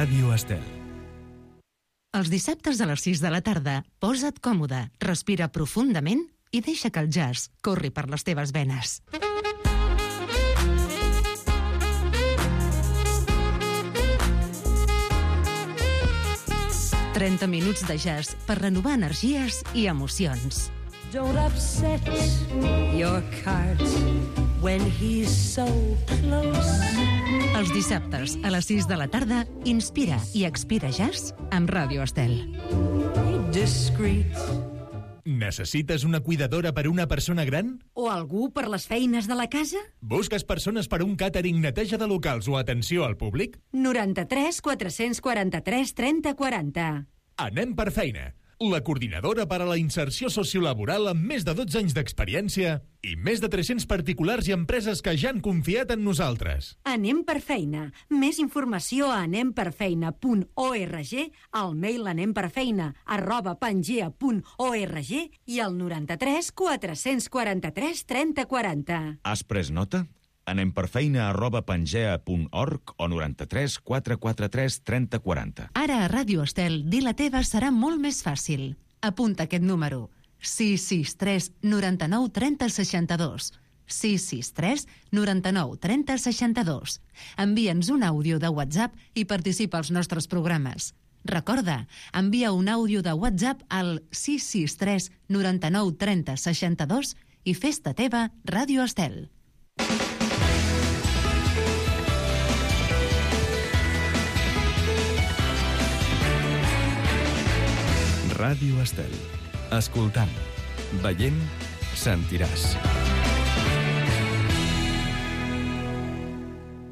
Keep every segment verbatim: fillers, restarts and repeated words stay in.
Ràdio Estel. Els dissabtes a les sis de la tarda, posa't còmode, respira profundament i deixa que el jazz corri per les teves venes. trenta minuts de jazz per renovar energies i emocions. Don't upset your cart when he's so close. Els dissabtes a les sis de la tarda, inspira i expira jazz amb Ràdio Estel. Be discreet. Necessites una cuidadora per una persona gran? O algú per les feines de la casa? Busques persones per un càtering, neteja de locals o atenció al públic? noranta-tres quatre-cents quaranta-tres trenta quaranta. Anem per feina. La coordinadora per a la inserció sociolaboral amb més de dotze anys d'experiència i més de tres-cents particulars i empreses que ja han confiat en nosaltres. Anem per feina. Més informació a anem per feina punt org, al mail anemperfeina arroba pangea punt org i al noranta-tres quatre-cents quaranta-tres trenta quaranta. Has pres nota? Anem per feina arroba pangea punt org o noranta-tres quatre quaranta-tres trenta quaranta. Ara a Ràdio Estel, dir la teva serà molt més fàcil. Apunta aquest número. sis sis tres noranta-nou trenta seixanta-dos. sis sis tres noranta-nou trenta seixanta-dos. Envia'ns un àudio de WhatsApp i participa als nostres programes. Recorda, envia un àudio de WhatsApp al sis sis tres noranta-nou trenta seixanta-dos i fes-te teva Ràdio Estel. Ràdio Estel. Escoltant, veient, sentiràs.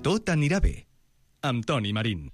Tot anirà bé. Amb Toni Marín.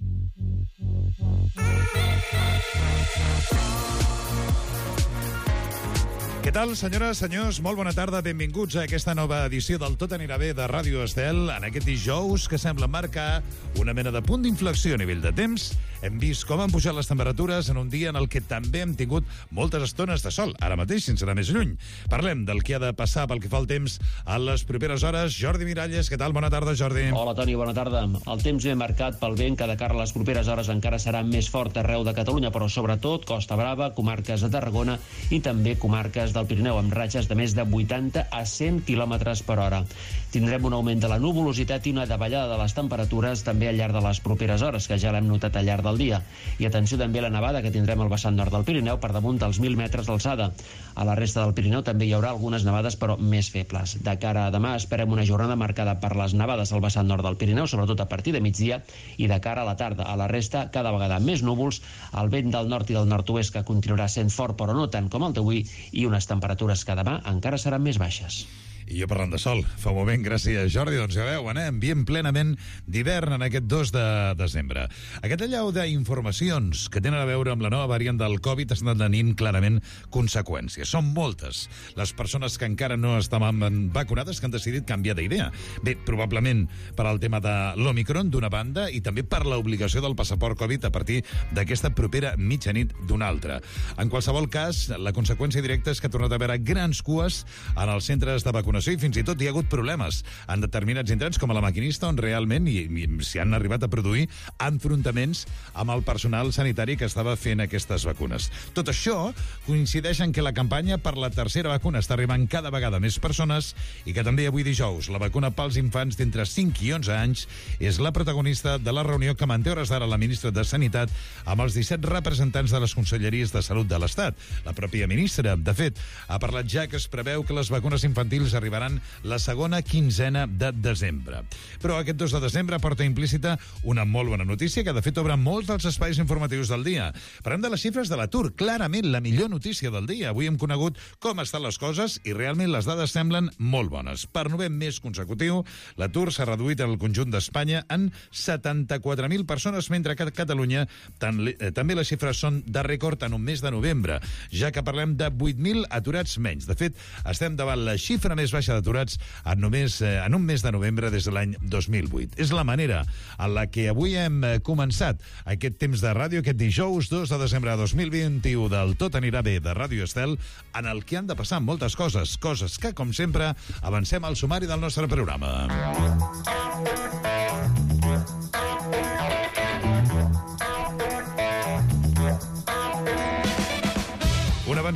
Què tal, senyores, senyors? Molt bona tarda, benvinguts a aquesta nova edició del Tot anirà bé de Ràdio Estel. En aquest dijous que sembla marcar una mena de punt d'inflexió a nivell de temps, hem vist com han pujat les temperatures en un dia en el que també hem tingut moltes estones de sol, ara mateix, sense anar més lluny. Parlem del que ha de passar pel que fa al temps a les properes hores. Jordi Miralles, què tal? Bona tarda, Jordi. Hola, Toni, bona tarda. El temps ben marcat pel vent que de cara a les properes hores encara serà més fort arreu de Catalunya, però sobretot Costa Brava, comarques de Tarragona i també comarques del Pirineu, amb ratxes de més de vuitanta a cent quilòmetres per hora. Tindrem un augment de la nuvolositat i una davallada de les temperatures també al llarg de les properes hores, que ja l'hem notat al llarg del dia. I atenció també a la nevada que tindrem al vessant nord del Pirineu per damunt dels mil metres d'alçada. A la resta del Pirineu també hi haurà algunes nevades, però més febles. De cara a demà esperem una jornada marcada per les nevades al vessant nord del Pirineu, sobretot a partir de migdia, i de cara a la tarda. A la resta, cada vegada més núvols, el vent del nord i del nord-oest que continuarà sent fort, però no tant com el d'avui, i unes temperatures que demà encara seran més baixes. I jo parlant de sol, fa un moment, gràcies, Jordi. Doncs ja veuen, eh? Ambient plenament d'hivern en aquest dos de desembre. Aquest allau d'informacions que tenen a veure amb la nova variant del Covid estan tenint clarament conseqüències. Són moltes les persones que encara no estaven vacunades que han decidit canviar d'idea. Bé, probablement per al tema de l'Omicron d'una banda i també per l'obligació del passaport Covid a partir d'aquesta propera mitjanit d'una altra. En qualsevol cas, la conseqüència directa és que ha tornat a haver grans cues en els centres de vacunació i fins i tot hi ha hagut problemes en determinats indrets com a la Maquinista, on realment i, i, s'hi han arribat a produir enfrontaments amb el personal sanitari que estava fent aquestes vacunes. Tot això coincideix en que la campanya per la tercera vacuna està arribant cada vegada més persones i que també avui dijous la vacuna pels infants d'entre cinc i onze anys és la protagonista de la reunió que manté hores d'ara la ministra de Sanitat amb els disset representants de les conselleries de Salut de l'Estat. La pròpia ministra, de fet, ha parlat ja que es preveu que les vacunes infantils arribaran la segona quinzena de desembre. Però aquest dos de desembre porta implícita una molt bona notícia que de fet obre molts dels espais informatius del dia. Parlem de les xifres de l'atur, clarament la millor notícia del dia. Avui hem conegut com estan les coses i realment les dades semblen molt bones. Per novè mes consecutiu, l'atur s'ha reduït en el conjunt d'Espanya en setanta-quatre mil persones, mentre que a Catalunya també les xifres són de rècord en un mes de novembre, ja que parlem de vuit mil aturats menys. De fet, estem davant la xifra més baixa d'aturats en, només, eh, en un mes de novembre des de l'any dos mil vuit. És la manera en la que avui hem començat aquest temps de ràdio, aquest dijous dos de desembre de dos mil vint-i-u del Tot anirà bé de Ràdio Estel, en el que han de passar moltes coses, coses que, com sempre, avancem al sumari del nostre programa.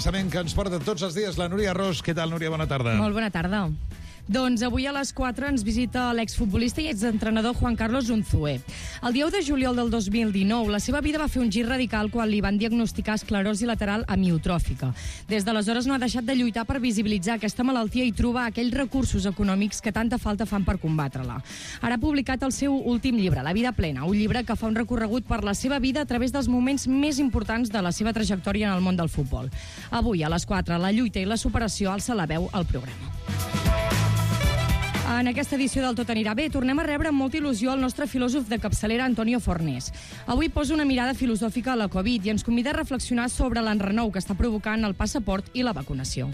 pensament que ens porta tots els dies la Núria Ros. Què tal, Núria? Bona tarda. Molt bona tarda. Doncs avui a les quatre ens visita l'exfutbolista i exentrenador Juan Carlos Unzué. El dia u de juliol del dos mil dinou, la seva vida va fer un gir radical quan li van diagnosticar esclerosi lateral amiotròfica. Des d'aleshores no ha deixat de lluitar per visibilitzar aquesta malaltia i trobar aquells recursos econòmics que tanta falta fan per combatre-la. Ara ha publicat el seu últim llibre, La vida plena, un llibre que fa un recorregut per la seva vida a través dels moments més importants de la seva trajectòria en el món del futbol. Avui, a les quatre, la lluita i la superació alça la veu al programa. En aquesta edició del Tot anirà bé tornem a rebre amb molta il·lusió el nostre filòsof de capçalera Antonio Fornés. Avui posa una mirada filosòfica a la Covid i ens convida a reflexionar sobre l'enrenou que està provocant el passaport i la vacunació.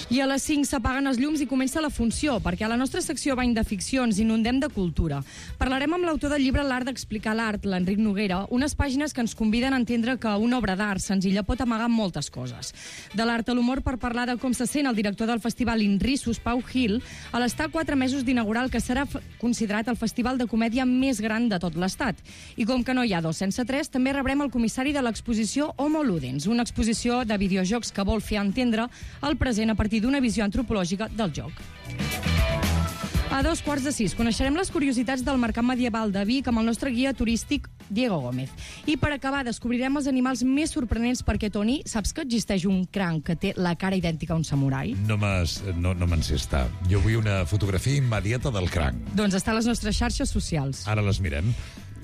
I a les cinc s'apaguen els llums i comença la funció, perquè a la nostra secció Bany de Ficció ens inundem de cultura. Parlarem amb l'autor del llibre L'art d'explicar l'art, l'Enric Noguera, unes pàgines que ens conviden a entendre que una obra d'art senzilla pot amagar moltes coses. De l'art a l'humor per parlar de com se sent el director del festival Inrissus, Pau Gil, a l'estar quatre mesos d'inaugurar el que serà considerat el festival de comèdia més gran de tot l'estat. I com que no hi ha dos sense tres, també rebrem el comissari de l'exposició Homo Ludens, una exposició de videojocs que vol fer entendre el present a partir d'una visió antropològica del joc. A dos quarts de sis coneixerem les curiositats del mercat medieval de Vic amb el nostre guia turístic Diego Gómez. I per acabar descobrirem els animals més sorprenents perquè, Toni, saps que existeix un cranc que té la cara idèntica a un samurai? No m'has- no, no me'n sé estar. Jo vull una fotografia immediata del cranc. Doncs està a les nostres xarxes socials. Ara les mirem.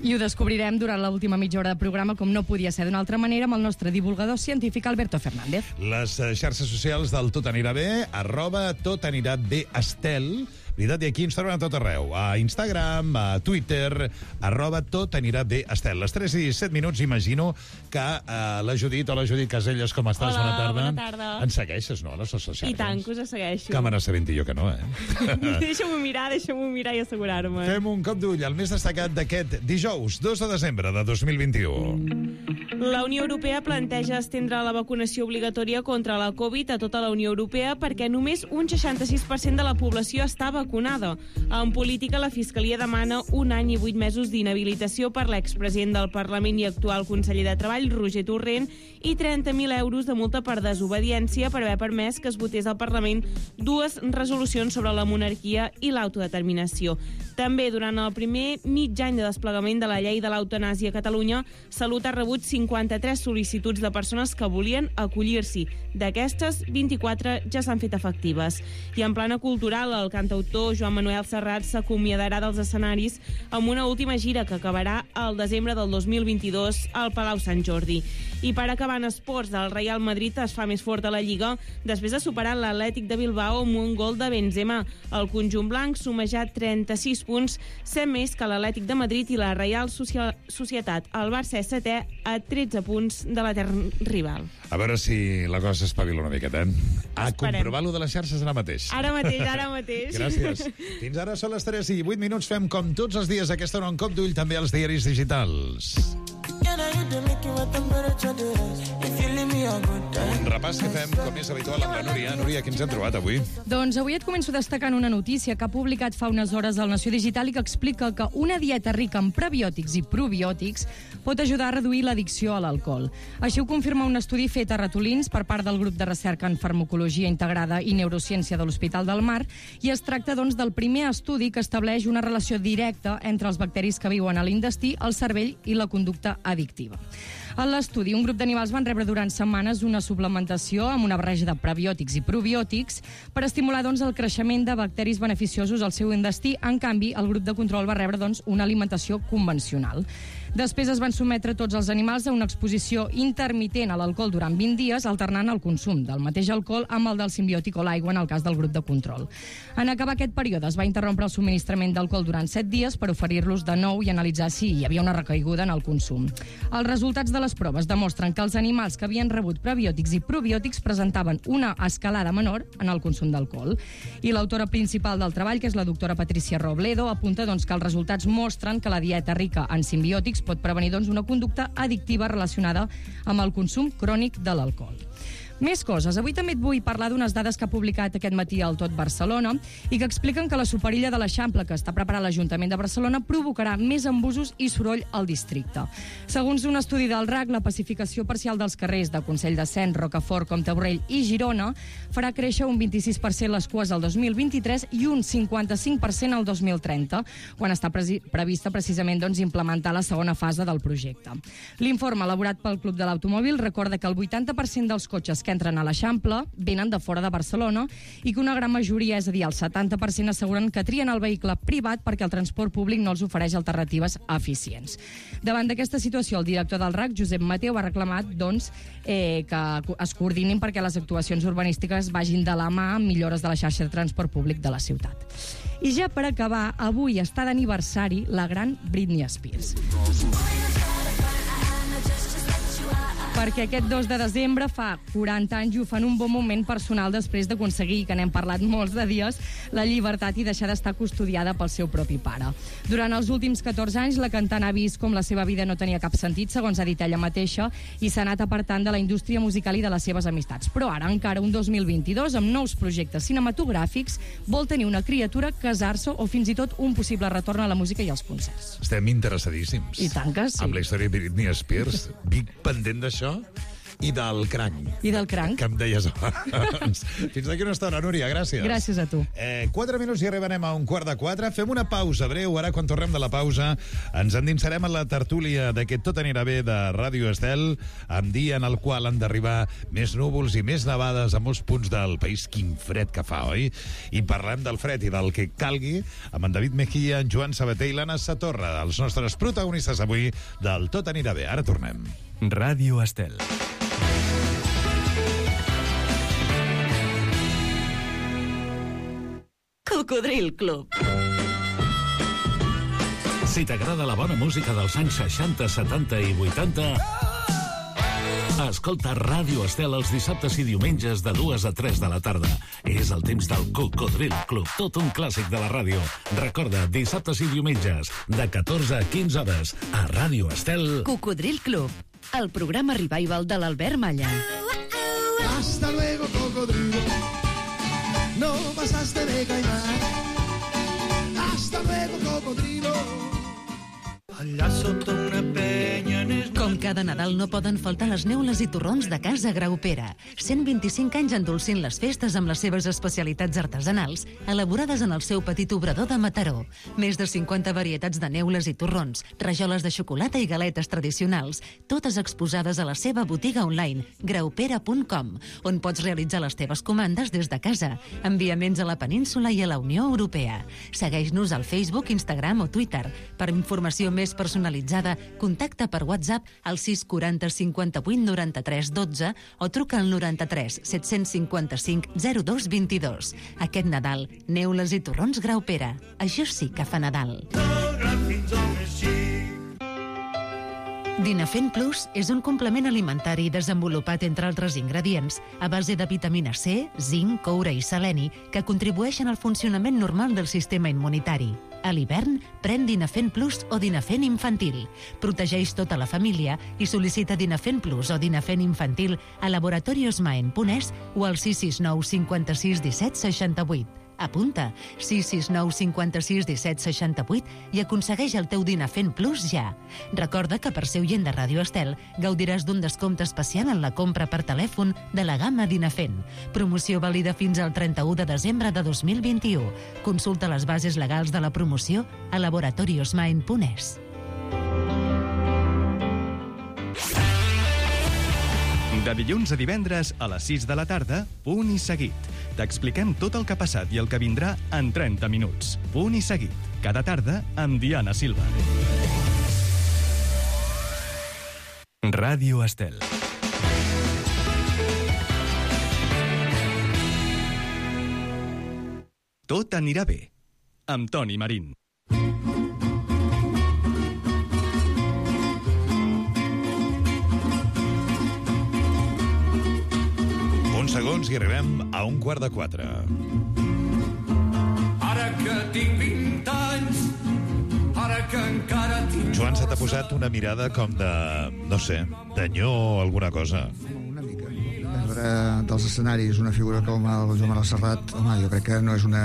I ho descobrirem durant l'última mitja hora de programa, com no podia ser d'una altra manera, amb el nostre divulgador científic Alberto Fernández. Les eh, xarxes socials del Tot anirà bé, arroba Tot anirà bé Estel. Veritat, i aquí ens troben a tot arreu. A Instagram, a Twitter, arroba Tot anirà bé Estel. Les tres i set minuts, imagino que eh, la Judit, hola Judit Caselles, com estàs? Hola, bona tarda. bona tarda. Ens segueixes, no, a les xarxes? I tant, que us segueixo. Càmera sabent jo que no, eh? Deixa-m'ho mirar, deixa-m'ho mirar i assegurar-me. Fem un cop d'ull al més destacat d'aquest dijous, dos de desembre de dos mil vint-i-u. La Unió Europea planteja estendre la vacunació obligatòria contra la Covid a tota la Unió Europea perquè només un seixanta-sis per cent de la població està vacunada. En política, la Fiscalia demana un any i vuit mesos d'inhabilitació per l'expresident del Parlament i actual conseller de Treball, Roger Torrent, i trenta mil euros de multa per desobediència per haver permès que es votés al Parlament dues resolucions sobre la monarquia i l'autodeterminació. També, durant el primer mig any de desplegament de la llei de l'eutanàsia a Catalunya, Salut ha rebut cinquanta-tres sol·licituds de persones que volien acollir-s'hi. D'aquestes, vint-i-quatre ja s'han fet efectives. I en plana cultural, el cantautor Joan Manuel Serrat s'acomiadarà dels escenaris amb una última gira que acabarà al desembre del dos mil vint-i-dos al Palau Sant Jordi. I per acabar en esports, el Real Madrid es fa més fort a la Lliga després de superar l'Atlètic de Bilbao amb un gol de Benzema. El conjunt blanc suma ja trenta-sis punts, set més que l'Atlètic de Madrid, i la Reial Societat, el Barça és setè a tretze punts de l'etern rival. A veure si la cosa s'espavila una miqueta, eh? A Esperem. comprovar-lo de les xarxes ara mateix. Ara mateix, ara mateix. Gràcies. Fins ara són les tres i vuit minuts. Fem com tots els dies aquesta hora un cop d'ull també als diaris digitals. Un repàs que fem, com és habitual, amb la Núria. Núria, què ens hem trobat avui? Doncs avui et començo destacant una notícia que ha publicat fa unes hores al Nació Digital i que explica que una dieta rica en prebiòtics i probiòtics pot ajudar a reduir l'addicció a l'alcohol. Així ho confirma un estudi fet a ratolins per part del grup de recerca en farmacologia integrada i neurociència de l'Hospital del Mar, i es tracta, doncs, del primer estudi que estableix una relació directa entre els bacteris que viuen a l'intestí, el cervell i la conducta addictiva. En l'estudi, un grup d'animals van rebre durant setmanes una suplementació amb una barreja de prebiòtics i probiòtics per estimular, doncs, el creixement de bacteris beneficiosos al seu intestí. En canvi, el grup de control va rebre, doncs, una alimentació convencional. Després es van sotmetre tots els animals a una exposició intermitent a l'alcohol durant vint dies, alternant el consum del mateix alcohol amb el del simbiòtic o l'aigua en el cas del grup de control. En acabar aquest període es va interrompre el subministrament d'alcohol durant set dies per oferir-los de nou i analitzar si hi havia una recaiguda en el consum. Els resultats de les proves demostren que els animals que havien rebut prebiòtics i probiòtics presentaven una escalada menor en el consum d'alcohol. I l'autora principal del treball, que és la doctora Patricia Robledo, apunta, doncs, que els resultats mostren que la dieta rica en simbiòtics pot prevenir, doncs, una conducta addictiva relacionada amb el consum crònic de l'alcohol. Més coses. Avui també et vull parlar d'unes dades que ha publicat aquest matí al Tot Barcelona i que expliquen que la superilla de l'Eixample que està preparant l'Ajuntament de Barcelona provocarà més embussos i soroll al districte. Segons un estudi del R A C, la pacificació parcial dels carrers de Consell de Cent, Rocafort, Comte-Borrell i Girona farà créixer un vint-i-sis per cent les cues al dos mil vint-i-tres i un cinquanta-cinc per cent al dos mil trenta, quan està pre prevista precisament doncs, implementar la segona fase del projecte. L'informe elaborat pel Club de l'Automòbil recorda que el vuitanta per cent dels cotxes que entren a l'Eixample venen de fora de Barcelona i que una gran majoria, és a dir, el setanta per cent, asseguren que trien el vehicle privat perquè el transport públic no els ofereix alternatives eficients. Davant d'aquesta situació, el director del R A C, Josep Mateu, ha reclamat doncs, eh, que es coordinin perquè les actuacions urbanístiques vagin de la mà amb millores de la xarxa de transport públic de la ciutat. I ja per acabar, avui està d'aniversari la gran Britney Spears. Perquè aquest dos de desembre fa quaranta anys i ho fa en un bon moment personal després d'aconseguir, que n'hem parlat molts de dies, la llibertat i deixar d'estar custodiada pel seu propi pare. Durant els últims catorze anys, la cantant ha vist com la seva vida no tenia cap sentit, segons ha dit ella mateixa, i s'ha anat apartant de la indústria musical i de les seves amistats. Però ara, encara un dos mil vint-i-dos, amb nous projectes cinematogràfics, vol tenir una criatura, casar-se o fins i tot un possible retorn a la música i als concerts. Estem interessadíssims. I tant que sí. Amb la història de Britney Spears. Vic pendent d'això i del cranc. I del cranc. Que em deies abans. Fins d'aquí una estona, Núria, gràcies. Gràcies a tu. Eh, quatre minuts i arribarem a un quart de quatre. Fem una pausa breu. Ara, quan tornem de la pausa, ens endinsarem en la tertúlia d'aquest Tot anirà bé de Ràdio Estel, amb dia en el qual han d'arribar més núvols i més nevades a molts punts del país. Quin fred que fa, oi? I parlem del fred i del que calgui amb en David Mejía, en Joan Sabater i l'Anna Satorra, els nostres protagonistes avui del Tot anirà bé. Ara tornem. Ràdio Estel. Cocodril Club. Si t'agrada la bona música dels anys seixanta, setanta i vuitanta, escolta Ràdio Estel els dissabtes i diumenges de dues a tres de la tarda. És el temps del Cocodril Club, tot un clàssic de la ràdio. Recorda, dissabtes i diumenges, de catorze a quinze hores, a Ràdio Estel. Cocodril Club, el programa revival de l'Albert Malla. Hasta luego, cocodrilo. No pasaste de caimán. Hasta luego, cocodrilo. Allà sota una penya... Com cada Nadal no poden faltar les neules i torrons de Casa Graupera. cent vint-i-cinc anys endolcint les festes amb les seves especialitats artesanals, elaborades en el seu petit obrador de Mataró. Més de cinquanta varietats de neules i torrons, rajoles de xocolata i galetes tradicionals, totes exposades a la seva botiga online, graupera punt com, on pots realitzar les teves comandes des de casa. Enviaments a la península i a la Unió Europea. Segueix-nos al Facebook, Instagram o Twitter. Per informació més personalitzada, contacta per WhatsApp al sis quaranta cinquanta-vuit noranta-tres dotze o truca al noranta-tres set-cents cinquanta-cinc zero dos vint-i-dos. Aquest Nadal, neules i torrons Graupera. Això sí que fa Nadal. Dinafent Plus és un complement alimentari desenvolupat, entre altres ingredients, a base de vitamina C, zinc, coure i seleni, que contribueixen al funcionament normal del sistema immunitari. A l'hivern, pren Dinafent Plus o Dinafent Infantil. Protegeix tota la família i sol·licita Dinafent Plus o Dinafent Infantil a Laboratorios Maen Punès o al sis sis nou cinquanta-sis disset seixanta-vuit. Apunta, sis sis nou cinquanta-sis disset seixanta-vuit i aconsegueix el teu Dinafent Plus ja. Recorda que per ser oient de Ràdio Estel gaudiràs d'un descompte especial en la compra per telèfon de la gamma Dinafent. Promoció vàlida fins al trenta-u de desembre de dos mil vint-i-u. Consulta les bases legals de la promoció a Laboratorios Maen Punès. De dilluns a divendres a les sis de la tarda, Punt i Seguit. T'expliquem tot el que ha passat i el que vindrà en trenta minuts. Punt i Seguit. Cada tarda amb Diana Silva. Ràdio Estel. Tot anirà bé. Amb Toni Marín. Segons i arribem a un quart de quatre. Ara que tinc vint anys, ara que encara tinc... Joan, se t'ha posat una mirada com de, no sé, d'anyó o alguna cosa. Una mica. És eh, dels escenaris una figura com el Joan Manuel Serrat, home, jo crec que no és una,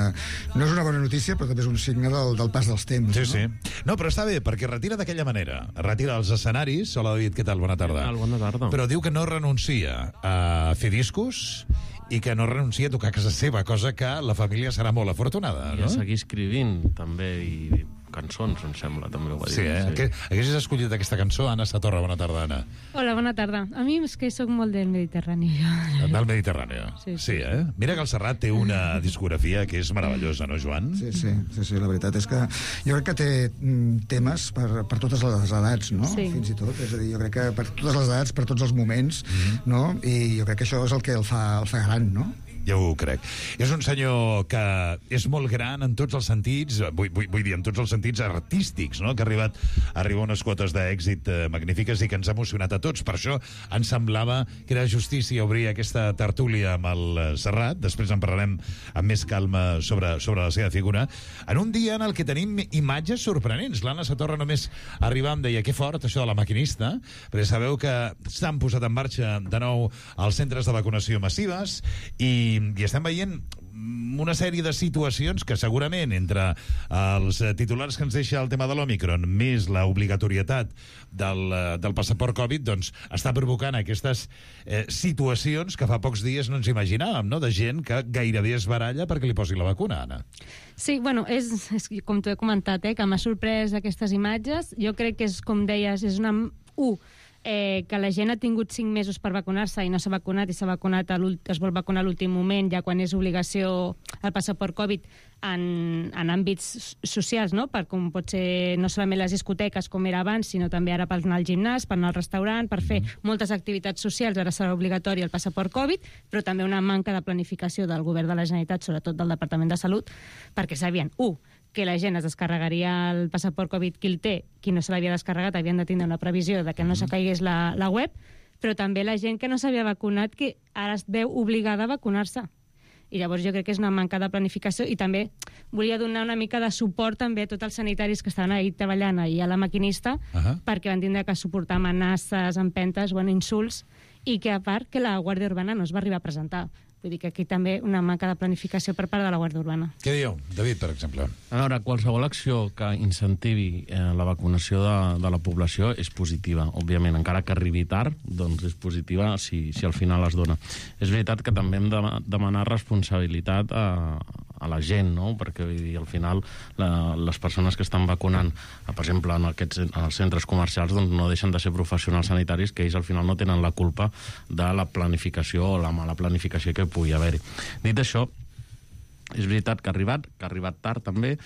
no és una bona notícia, però també és un signe del, del pas dels temps. Sí, no? sí. No, però està bé, perquè retira d'aquella manera. Retira els escenaris. Hola, David, què tal? Bona tarda. Què tal? Bona tarda. Però diu que no renuncia a fer discos i que no renuncia a tocar a casa seva, cosa que la família serà molt afortunada, I no? a seguir escrivint, també, i cançons, em sembla, també ho va dir. Sí, eh? Sí. Haguessis escollit aquesta cançó, Anna Satorra. Bona tarda, Anna. Hola, bona tarda. A mi és que sóc molt del Mediterrani. Del Mediterrani. Sí, sí. Sí, eh? Mira que el Serrat té una discografia que és meravellosa, no, Joan? Sí, sí, sí, sí, la veritat és que jo crec que té mm, temes per, per totes les edats, no? Sí. Fins i tot, és a dir, jo crec que per totes les edats, per tots els moments, mm-hmm. no? I jo crec que això és el que el fa, el fa gran, no? Ja ho crec. És un senyor que és molt gran en tots els sentits, vull, vull, vull dir, en tots els sentits artístics, no? Que ha arribat a arribar a unes quotes d'èxit eh, magnífiques i que ens ha emocionat a tots. Per això ens semblava que era justícia obrir aquesta tertúlia amb el Serrat. Després en parlarem amb més calma sobre, sobre la seva figura. En un dia en el que tenim imatges sorprenents. L'Anna Satorra només arribava em deia que fort això de la maquinista, perquè sabeu que s'han posat en marxa de nou els centres de vacunació massives i i estem veient una sèrie de situacions que segurament entre els titulars que ens deixa el tema de l'Òmicron més la obligatorietat del, del passaport Covid, doncs està provocant aquestes eh, situacions que fa pocs dies no ens imaginàvem, no? De gent que gairebé es baralla perquè li posi la vacuna, Anna. Sí, bueno, és, és com t'ho he comentat, eh, que m'ha sorprès aquestes imatges. Jo crec que és, com deies, és una... Uh, Eh, que la gent ha tingut cinc mesos per vacunar-se i no s'ha vacunat i s'ha vacunat a es vol vacunar a l'últim moment, ja quan és obligació el passaport Covid en, en àmbits socials, no? Per com pot ser no solament les discoteques com era abans, sinó també ara per anar al gimnàs, per anar al restaurant, per fer moltes activitats socials. Ara serà obligatori el passaport Covid, però també una manca de planificació del govern de la Generalitat, sobretot del Departament de Salut, perquè sabien, u, que la gent es descarregaria el passaport Covid qui el té, qui no se l'havia descarregat havien de tindre una previsió de que no s'acaigués la, la web, però també la gent que no s'havia vacunat que ara es veu obligada a vacunar-se. I llavors jo crec que és una manca de planificació i també volia donar una mica de suport també a tots els sanitaris que estaven ahir treballant ahir a la maquinista, uh-huh. perquè van tindre que suportar amenaces, empentes, bueno, insults, i que a part que la Guàrdia Urbana no es va arribar a presentar. Vull dir que aquí també una manca de planificació per part de la Guàrdia Urbana. Què dieu, David, per exemple? A veure, qualsevol acció que incentivi eh, la vacunació de, de la població és positiva, òbviament. Encara que arribi tard, doncs és positiva si, si al final es dona. És veritat que també hem de demanar responsabilitat a, a la gent, no? Perquè vull dir, al final la, les persones que estan vacunant, per exemple, en, aquests, en els centres comercials, doncs no deixen de ser professionals sanitaris que ells al final no tenen la culpa de la planificació o la mala planificació que pugui haver-hi. Dit això, és veritat que ha arribat, que ha arribat tard també,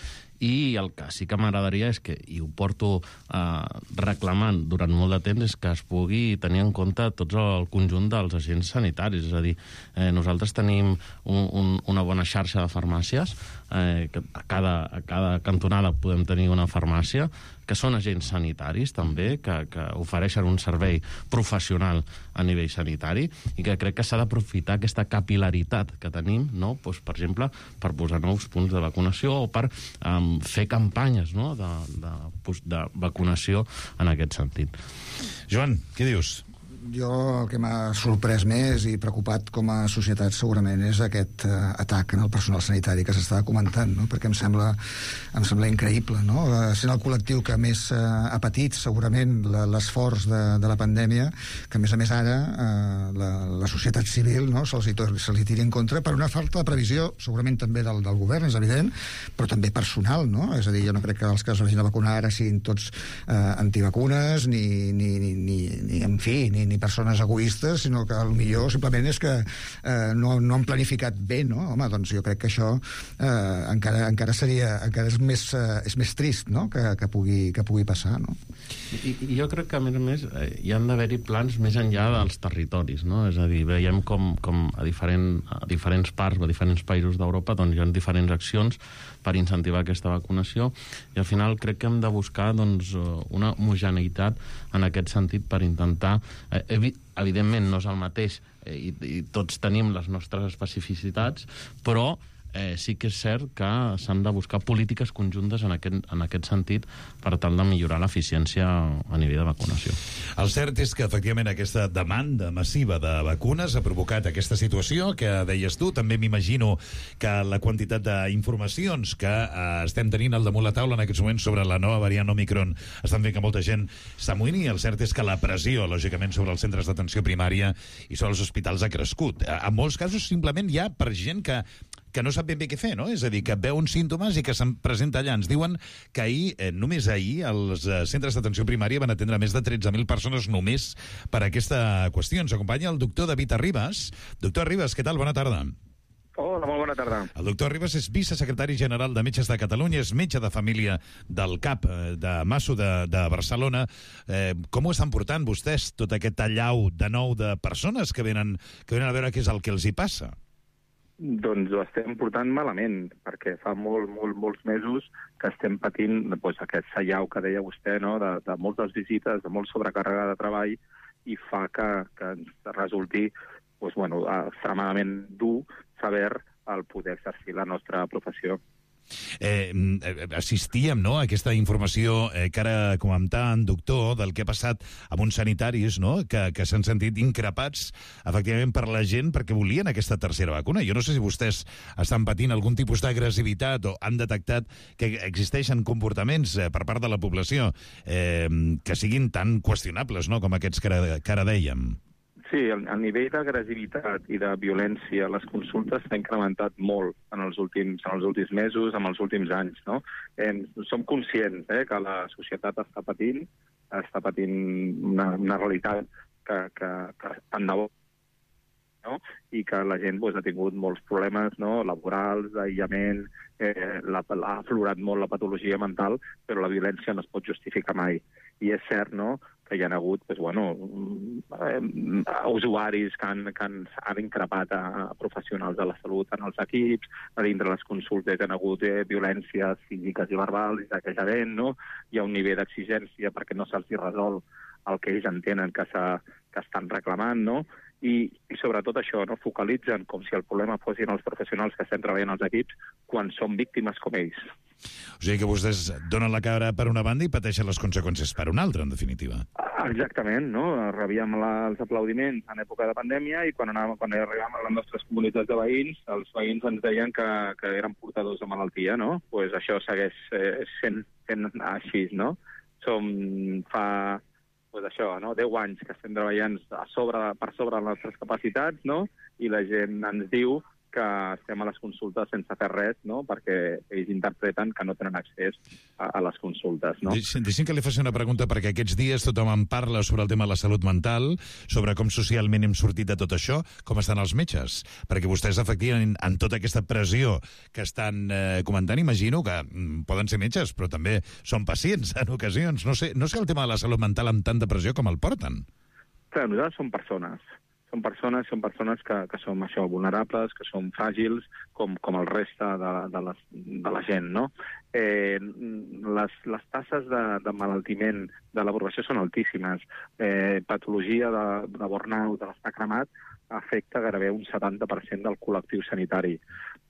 i el que sí que m'agradaria és que, i ho porto eh, reclamant durant molt de temps, és que es pugui tenir en compte tots el conjunt dels agents sanitaris. És a dir, eh, nosaltres tenim un, un, una bona xarxa de farmàcies, eh, que a cada, a cada cantonada podem tenir una farmàcia, que són agents sanitaris també, que, que ofereixen un servei professional a nivell sanitari i que crec que s'ha d'aprofitar aquesta capilaritat que tenim, no? Pues, per exemple, per posar nous punts de vacunació o per um, fer campanyes, no? de, de, de vacunació en aquest sentit. Joan, què dius? Jo el que m'ha sorprès més i preocupat com a societat segurament és aquest uh, atac en el personal sanitari que s'estava comentant, no? Perquè em sembla, em sembla increïble, no? Uh, sent el col·lectiu que més uh, ha patit segurament l'esforç de, de la pandèmia, que a més a més ara uh, la, la societat civil, no? se'ls se li tiri en contra per una falta de previsió, segurament també del, del govern, és evident, però també personal, no? És a dir, jo no crec que els que es vagin a vacunar ara siguin tots uh, antivacunes, ni, ni, ni, ni, ni en fi, ni ni persones egoistes, sinó que potser simplement és que eh, no, no han planificat bé, no? Home, doncs jo crec que això eh, encara, encara seria, encara és més, eh, és més trist, no? Que, que, pugui, que pugui passar, no? I, i jo crec que, a més a més, eh, hi han d'haver-hi plans més enllà dels territoris, no? És a dir, veiem com, com a, diferent, a diferents parts, a diferents països d'Europa, doncs hi ha diferents accions per incentivar aquesta vacunació i al final crec que hem de buscar doncs, una homogeneïtat en aquest sentit per intentar... Eh, evi evidentment no és el mateix eh, i, i tots tenim les nostres especificitats, però eh, sí que és cert que s'han de buscar polítiques conjuntes en aquest, en aquest sentit per tal de millorar l'eficiència a nivell de vacunació. El cert és que, efectivament, aquesta demanda massiva de vacunes ha provocat aquesta situació que deies tu. També m'imagino que la quantitat d'informacions que eh, estem tenint al damunt la taula en aquests moments sobre la nova variant Omicron estan fent que molta gent s'amoïni. El cert és que la pressió, lògicament, sobre els centres d'atenció primària i sobre els hospitals ha crescut. En molts casos, simplement hi ha per gent que que no sap ben bé què fer, no? És a dir, que veu uns símptomes i que se'n presenta allà. Ens diuen que ahir, eh, només ahir, els eh, centres d'atenció primària van atendre més de tretze mil persones només per aquesta qüestió. Ens acompanya el doctor David Arribas. Doctor Arribas, què tal? Bona tarda. Hola, molt bona tarda. El doctor Arribas és vicesecretari general de Metges de Catalunya, és metge de família del C A P de Masso de, de Barcelona. Eh, com ho estan portant vostès, tot aquest allau de nou de persones que venen, que venen a veure què és el que els hi passa? Doncs ho estem portant malament, perquè fa molt, molt, molts mesos que estem patint doncs, aquest sallau que deia vostè, no? de, de moltes visites, de molt sobrecàrrega de treball, i fa que, que ens resulti doncs, bueno, extremadament dur saber el poder exercir la nostra professió. Eh, assistíem, no?, a aquesta informació eh, que ara comentaven, doctor, del que ha passat amb uns sanitaris, no?, que, que s'han sentit increpats, efectivament, per la gent perquè volien aquesta tercera vacuna. Jo no sé si vostès estan patint algun tipus d'agressivitat o han detectat que existeixen comportaments eh, per part de la població eh, que siguin tan qüestionables, no?, com aquests que ara, que ara dèiem. Sí, el, el nivell d'agressivitat i de violència a les consultes s'ha incrementat molt en els últims, en els últims mesos, en els últims anys, no? Eh, som conscients eh, que la societat està patint, està patint una, una realitat que, que, que tant de bo, no? I que la gent pues, ha tingut molts problemes, no?, laborals, d'aïllament, eh, la, ha aflorat molt la patologia mental, però la violència no es pot justificar mai. I és cert, no?, que hi ha hagut pues, bueno, eh, usuaris que han, que han, han increpat a, a professionals de la salut en els equips, a dintre les consultes hi ha hagut eh, violències físiques i verbals, i saquejament, no? Hi ha un nivell d'exigència perquè no se'ls resol el que ells entenen que, que estan reclamant, no? I, i sobretot això, no? Focalitzen com si el problema fossin els professionals que estem treballant als equips quan són víctimes com ells. O sigui que vostès donen la cara per una banda i pateixen les conseqüències per una altra, en definitiva. Exactament, no? Rebíem la, els aplaudiments en època de pandèmia i quan, anàvem, quan arribàvem a les nostres comunitats de veïns, els veïns ens deien que, que eren portadors de malaltia, no? Doncs pues això segueix eh, sent, sent així, no? Som fa... pues això, no? deu anys que estem treballant a sobre, per sobre de les nostres capacitats, no? I la gent ens diu que estem a les consultes sense fer res, no? Perquè ells interpreten que no tenen accés a, a les consultes, no? Deixin, deixin que li faci una pregunta, perquè aquests dies tothom en parla sobre el tema de la salut mental, sobre com socialment hem sortit de tot això, com estan els metges. Perquè vostès, efectivament, en tota aquesta pressió que estan eh, comentant, imagino que mm, poden ser metges, però també són pacients en ocasions. No sé, no sé el tema de la salut mental amb tanta pressió com el porten. Clar, nosaltres som persones. Són persones, són persones que, que som això, vulnerables, que som fràgils, com, com el reste de, de, les, de la gent, no? Eh, les, les tasses de, de malaltiment de la població són altíssimes. Eh, patologia de, de burnout, de l'estar cremat, afecta gairebé un setanta per cent del col·lectiu sanitari.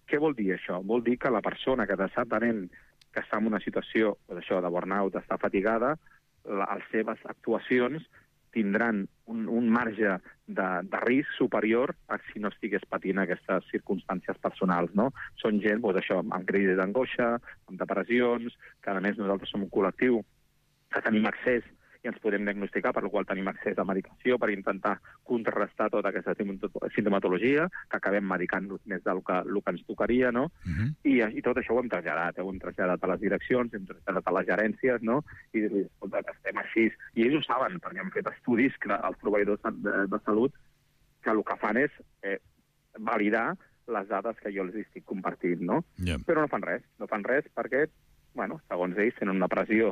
Què vol dir això? Vol dir que la persona que està tenint que està en una situació doncs això, de burnout, està fatigada, la, les seves actuacions tindran un, un marge de, de risc superior a si no estigués patint aquestes circumstàncies personals, no? Són gent, doncs això, amb crisi d'angoixa, amb depressions, que a més nosaltres som un col·lectiu que tenim accés i ens podem diagnosticar, per la qual tenim accés a medicació per intentar contrarrestar tota aquesta sintomatologia, que acabem medicant-nos més del que, el que ens tocaria, no? Uh-huh. I, I tot això ho hem traslladat, eh? ho hem traslladat a les direccions, hem traslladat a les gerències, no? I dir-li, escolta, que estem així. I ells ho saben, perquè han fet estudis que els proveïdors de, de salut que el que fan és eh, validar les dades que jo els estic compartint, no? Yeah. Però no fan res, no fan res perquè bueno, segons ells, tenen una pressió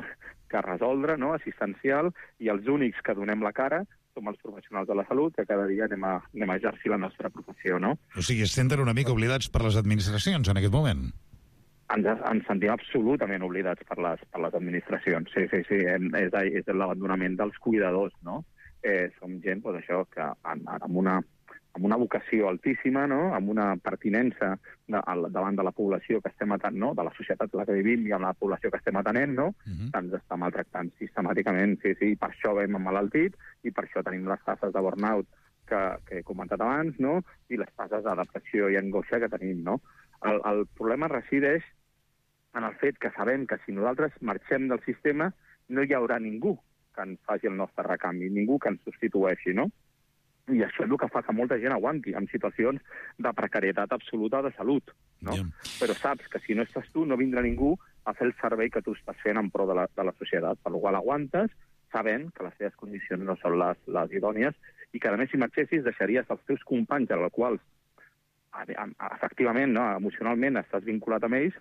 que resoldre, no?, assistencial, i els únics que donem la cara som els professionals de la salut, que cada dia anem a, anem a exercir la nostra professió, no? O sigui, es senten una mica oblidats per les administracions en aquest moment? Ens, ens sentim absolutament oblidats per les, per les administracions. Sí, sí, sí, és, és l'abandonament dels cuidadors, no? Eh, som gent, doncs això, que en, en una amb una vocació altíssima, no? Amb una pertinença de, al, davant de la població que estem atenent, no? De la societat en la que vivim i amb la població que estem atenent, no? Uh-huh. Ens està maltractant sistemàticament, sí, sí, i per això hem emmalaltit, i per això tenim les tasses de burnout que, que he comentat abans, no? I les tasses de depressió i angoixa que tenim, no? El, el problema resideix en el fet que sabem que si nosaltres marxem del sistema no hi haurà ningú que ens faci el nostre recanvi, ningú que ens substitueixi, no? I això és el que fa que molta gent aguanti en situacions de precarietat absoluta de salut, no? Yeah. Però saps que si no estàs tu no vindrà ningú a fer el servei que tu estàs fent en pro de la, de la societat, per la qual aguantes sabent que les teves condicions no són les, les idònies i que, a més, si marxessis, deixaries els teus companys, als quals efectivament, no, emocionalment estàs vinculat amb ells,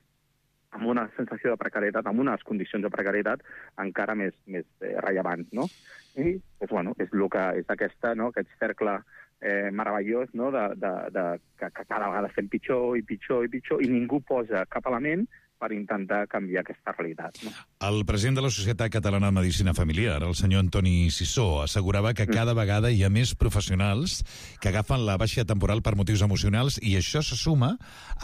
amb una sensació de precarietat, amb unes condicions de precarietat encara més, més eh, rellevants, no? I, doncs, bueno, és, lo que, és aquesta, no?, aquest cercle eh, meravellós, no?, de, de, de, que, que cada vegada estem pitjor i pitjor i pitjor, i ningú posa cap element per intentar canviar aquesta realitat, no? El president de la Societat Catalana de Medicina Familiar, el senyor Antoni Sissó, assegurava que cada vegada hi ha més professionals que agafen la baixa temporal per motius emocionals i això se suma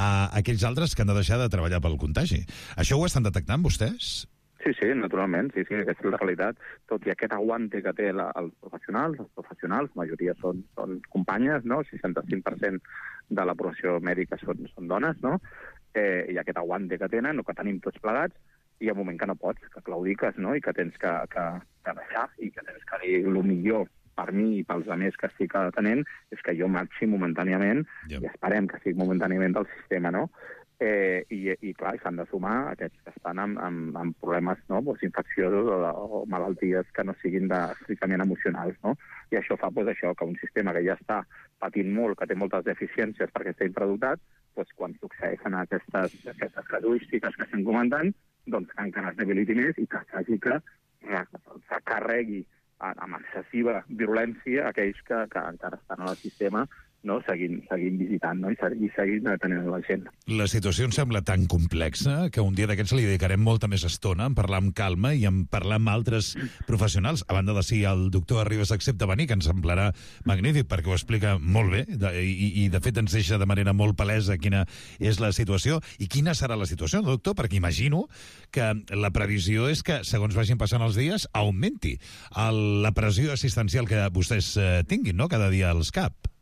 a aquells altres que han de deixar de treballar pel contagi. Això ho estan detectant vostès? Sí, sí, naturalment, sí, sí, aquesta és la realitat. Tot i aquest aguante que té la, els professionals, els professionals, la majoria són, són companyes, no? El seixanta-cinc per cent de la població mèdica són, són dones, no? Eh, i aquest aguante que tenen, o que tenim tots plegats, i hi ha un moment que no pots, que claudiques, no? I que tens que, que, que deixar, i que tens que dir el millor per mi i pels altres que estic atenent, és que jo marxi momentàniament, yeah. I esperem que sigui momentàniament del sistema, no? Eh, i, i clar, s'han de sumar aquests que estan amb, amb, amb problemes, no?, pues, infecciosos o, o malalties que no siguin de, estrictament emocionals, no? I això fa pues, això, que un sistema que ja està patint molt, que té moltes deficiències perquè està infradotat, pues, quan succeeixen aquestes, aquestes casuístiques que estem comentant, doncs que encara es debiliti més i que s'hagi que se carregui amb excessiva virulència aquells que, que encara estan al sistema, no? seguint, seguint visitant, no? I seguint atenent la gent. La situació em sembla tan complexa que un dia d'aquests li dedicarem molta més estona en parlar amb calma i en parlar amb altres professionals, a banda de si el doctor Arribas accepta venir, que ens semblarà magnífic perquè ho explica molt bé de, i, i de fet ens deixa de manera molt palesa quina és la situació i quina serà la situació, doctor, perquè imagino que la previsió és que, segons vagin passant els dies, augmenti el, la pressió assistencial que vostès eh, tinguin, no?, cada dia als C A P.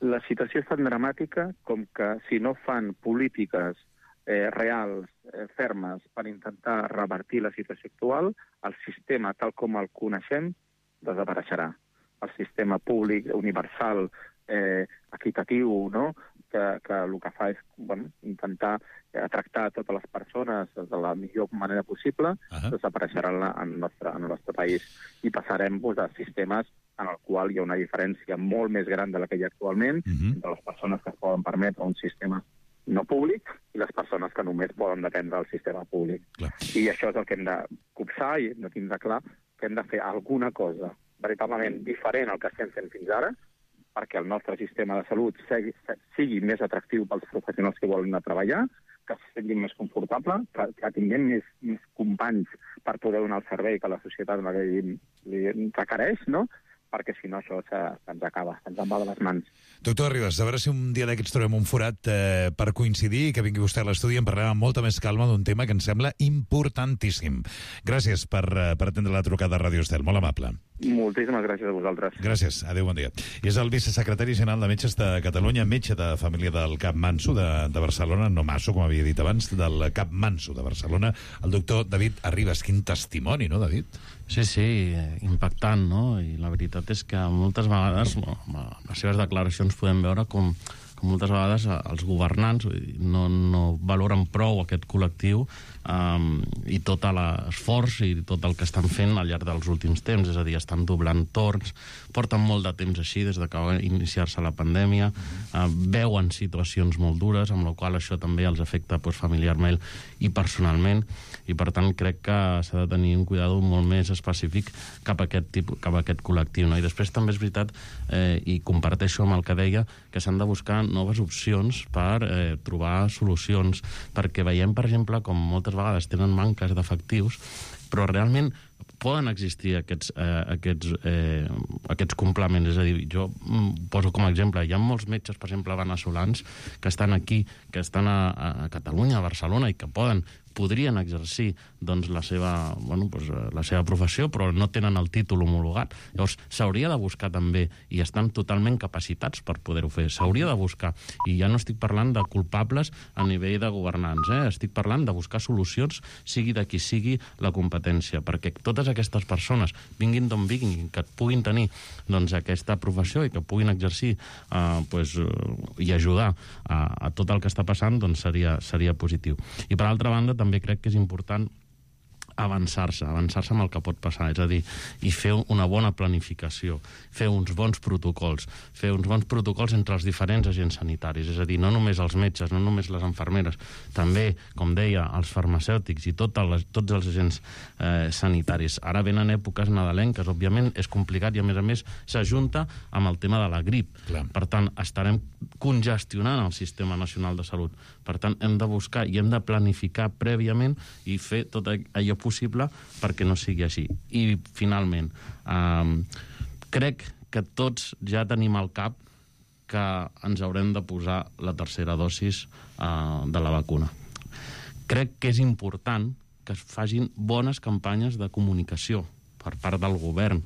La situació és tan dramàtica com que si no fan polítiques eh, reals, eh, fermes, per intentar revertir la situació actual, el sistema, tal com el coneixem, desapareixerà. El sistema públic, universal, eh, equitatiu, no?, que, que el que fa és bueno, intentar eh, tractar totes les persones de la millor manera possible, uh-huh. desapareixerà en, la, en, el nostre, en el nostre país. I passarem pues, a sistemes en el qual hi ha una diferència molt més gran de la que hi ha actualment uh-huh. entre les persones que es poden permetre un sistema no públic i les persones que només poden dependre del sistema públic. Clar. I això és el que hem de copsar i hem de tindre clar que hem de fer alguna cosa veritablement diferent al que estem fent fins ara perquè el nostre sistema de salut sigui, sigui més atractiu pels professionals que volen anar a treballar, que se sentin més confortable, que, que tinguem més, més companys per poder donar el servei que la societat en la que li, li requereix, no?, perquè si no això se'ns acaba, se'ns en va de les mans. Doctor Arribas, a veure si un dia d'aquests trobem un forat eh, per coincidir i que vingui vostè a l'estudi i en parlem amb molta més calma d'un tema que em sembla importantíssim. Gràcies per, per atendre la trucada a Ràdio Estel, molt amable. Moltíssimes gràcies a vosaltres. Gràcies, adéu, bon dia. I és el vicesecretari general de Metges de Catalunya, metge de família del Cap Manso de, de Barcelona, no Masso, com havia dit abans, del Cap Manso de Barcelona, el doctor David Arribas. Quin testimoni, no, David? Sí, sí, impactant, no? I la veritat és que moltes vegades, amb les seves declaracions podem veure com, com moltes vegades els governants no, no valoren prou aquest col·lectiu um, i tot l'esforç i tot el que estan fent al llarg dels últims temps, és a dir, estan doblant torns, porten molt de temps així des de que va iniciar-se la pandèmia, uh, veuen situacions molt dures, amb la qual això també els afecta pues, familiarment i personalment, i per tant crec que s'ha de tenir un cuidado molt més específic cap a aquest, tipus, cap a aquest col·lectiu. No? I després també és veritat, eh, i comparteixo amb el que deia, que s'han de buscar noves opcions per eh, trobar solucions, perquè veiem, per exemple, com moltes vegades tenen manques d'efectius, però realment poden existir aquests, eh, aquests, eh, aquests complements. És a dir, jo poso com a exemple, hi ha molts metges, per exemple, veneçolans, que estan aquí, que estan a, a Catalunya, a Barcelona, i que poden podrien exercir doncs, la, seva, bueno, doncs, la seva professió, però no tenen el títol homologat. Llavors, s'hauria de buscar també, i estan totalment capacitats per poder-ho fer, s'hauria de buscar. I ja no estic parlant de culpables a nivell de governants, eh? Estic parlant de buscar solucions, sigui de qui sigui la competència, perquè totes aquestes persones, vinguin d'on vinguin, que puguin tenir doncs, aquesta professió i que puguin exercir eh, pues, eh, i ajudar a, a tot el que està passant, doncs seria, seria positiu. I per altra banda, també també crec que és important avançar-se, avançar-se amb el que pot passar, és a dir, i fer una bona planificació, fer uns bons protocols, fer uns bons protocols entre els diferents agents sanitaris, és a dir, no només els metges, no només les infermeres, també, com deia, els farmacèutics i tot les, tots els agents eh, sanitaris. Ara venen èpoques nadalenques, òbviament és complicat i, a més a més, s'ajunta amb el tema de la grip. Clar. Per tant, estarem congestionant el Sistema Nacional de Salut. Per tant, hem de buscar i hem de planificar prèviament i fer tot allò possible perquè no sigui així. I, finalment, eh, crec que tots ja tenim al cap que ens haurem de posar la tercera dosis eh, de la vacuna. Crec que és important que es facin bones campanyes de comunicació per part del govern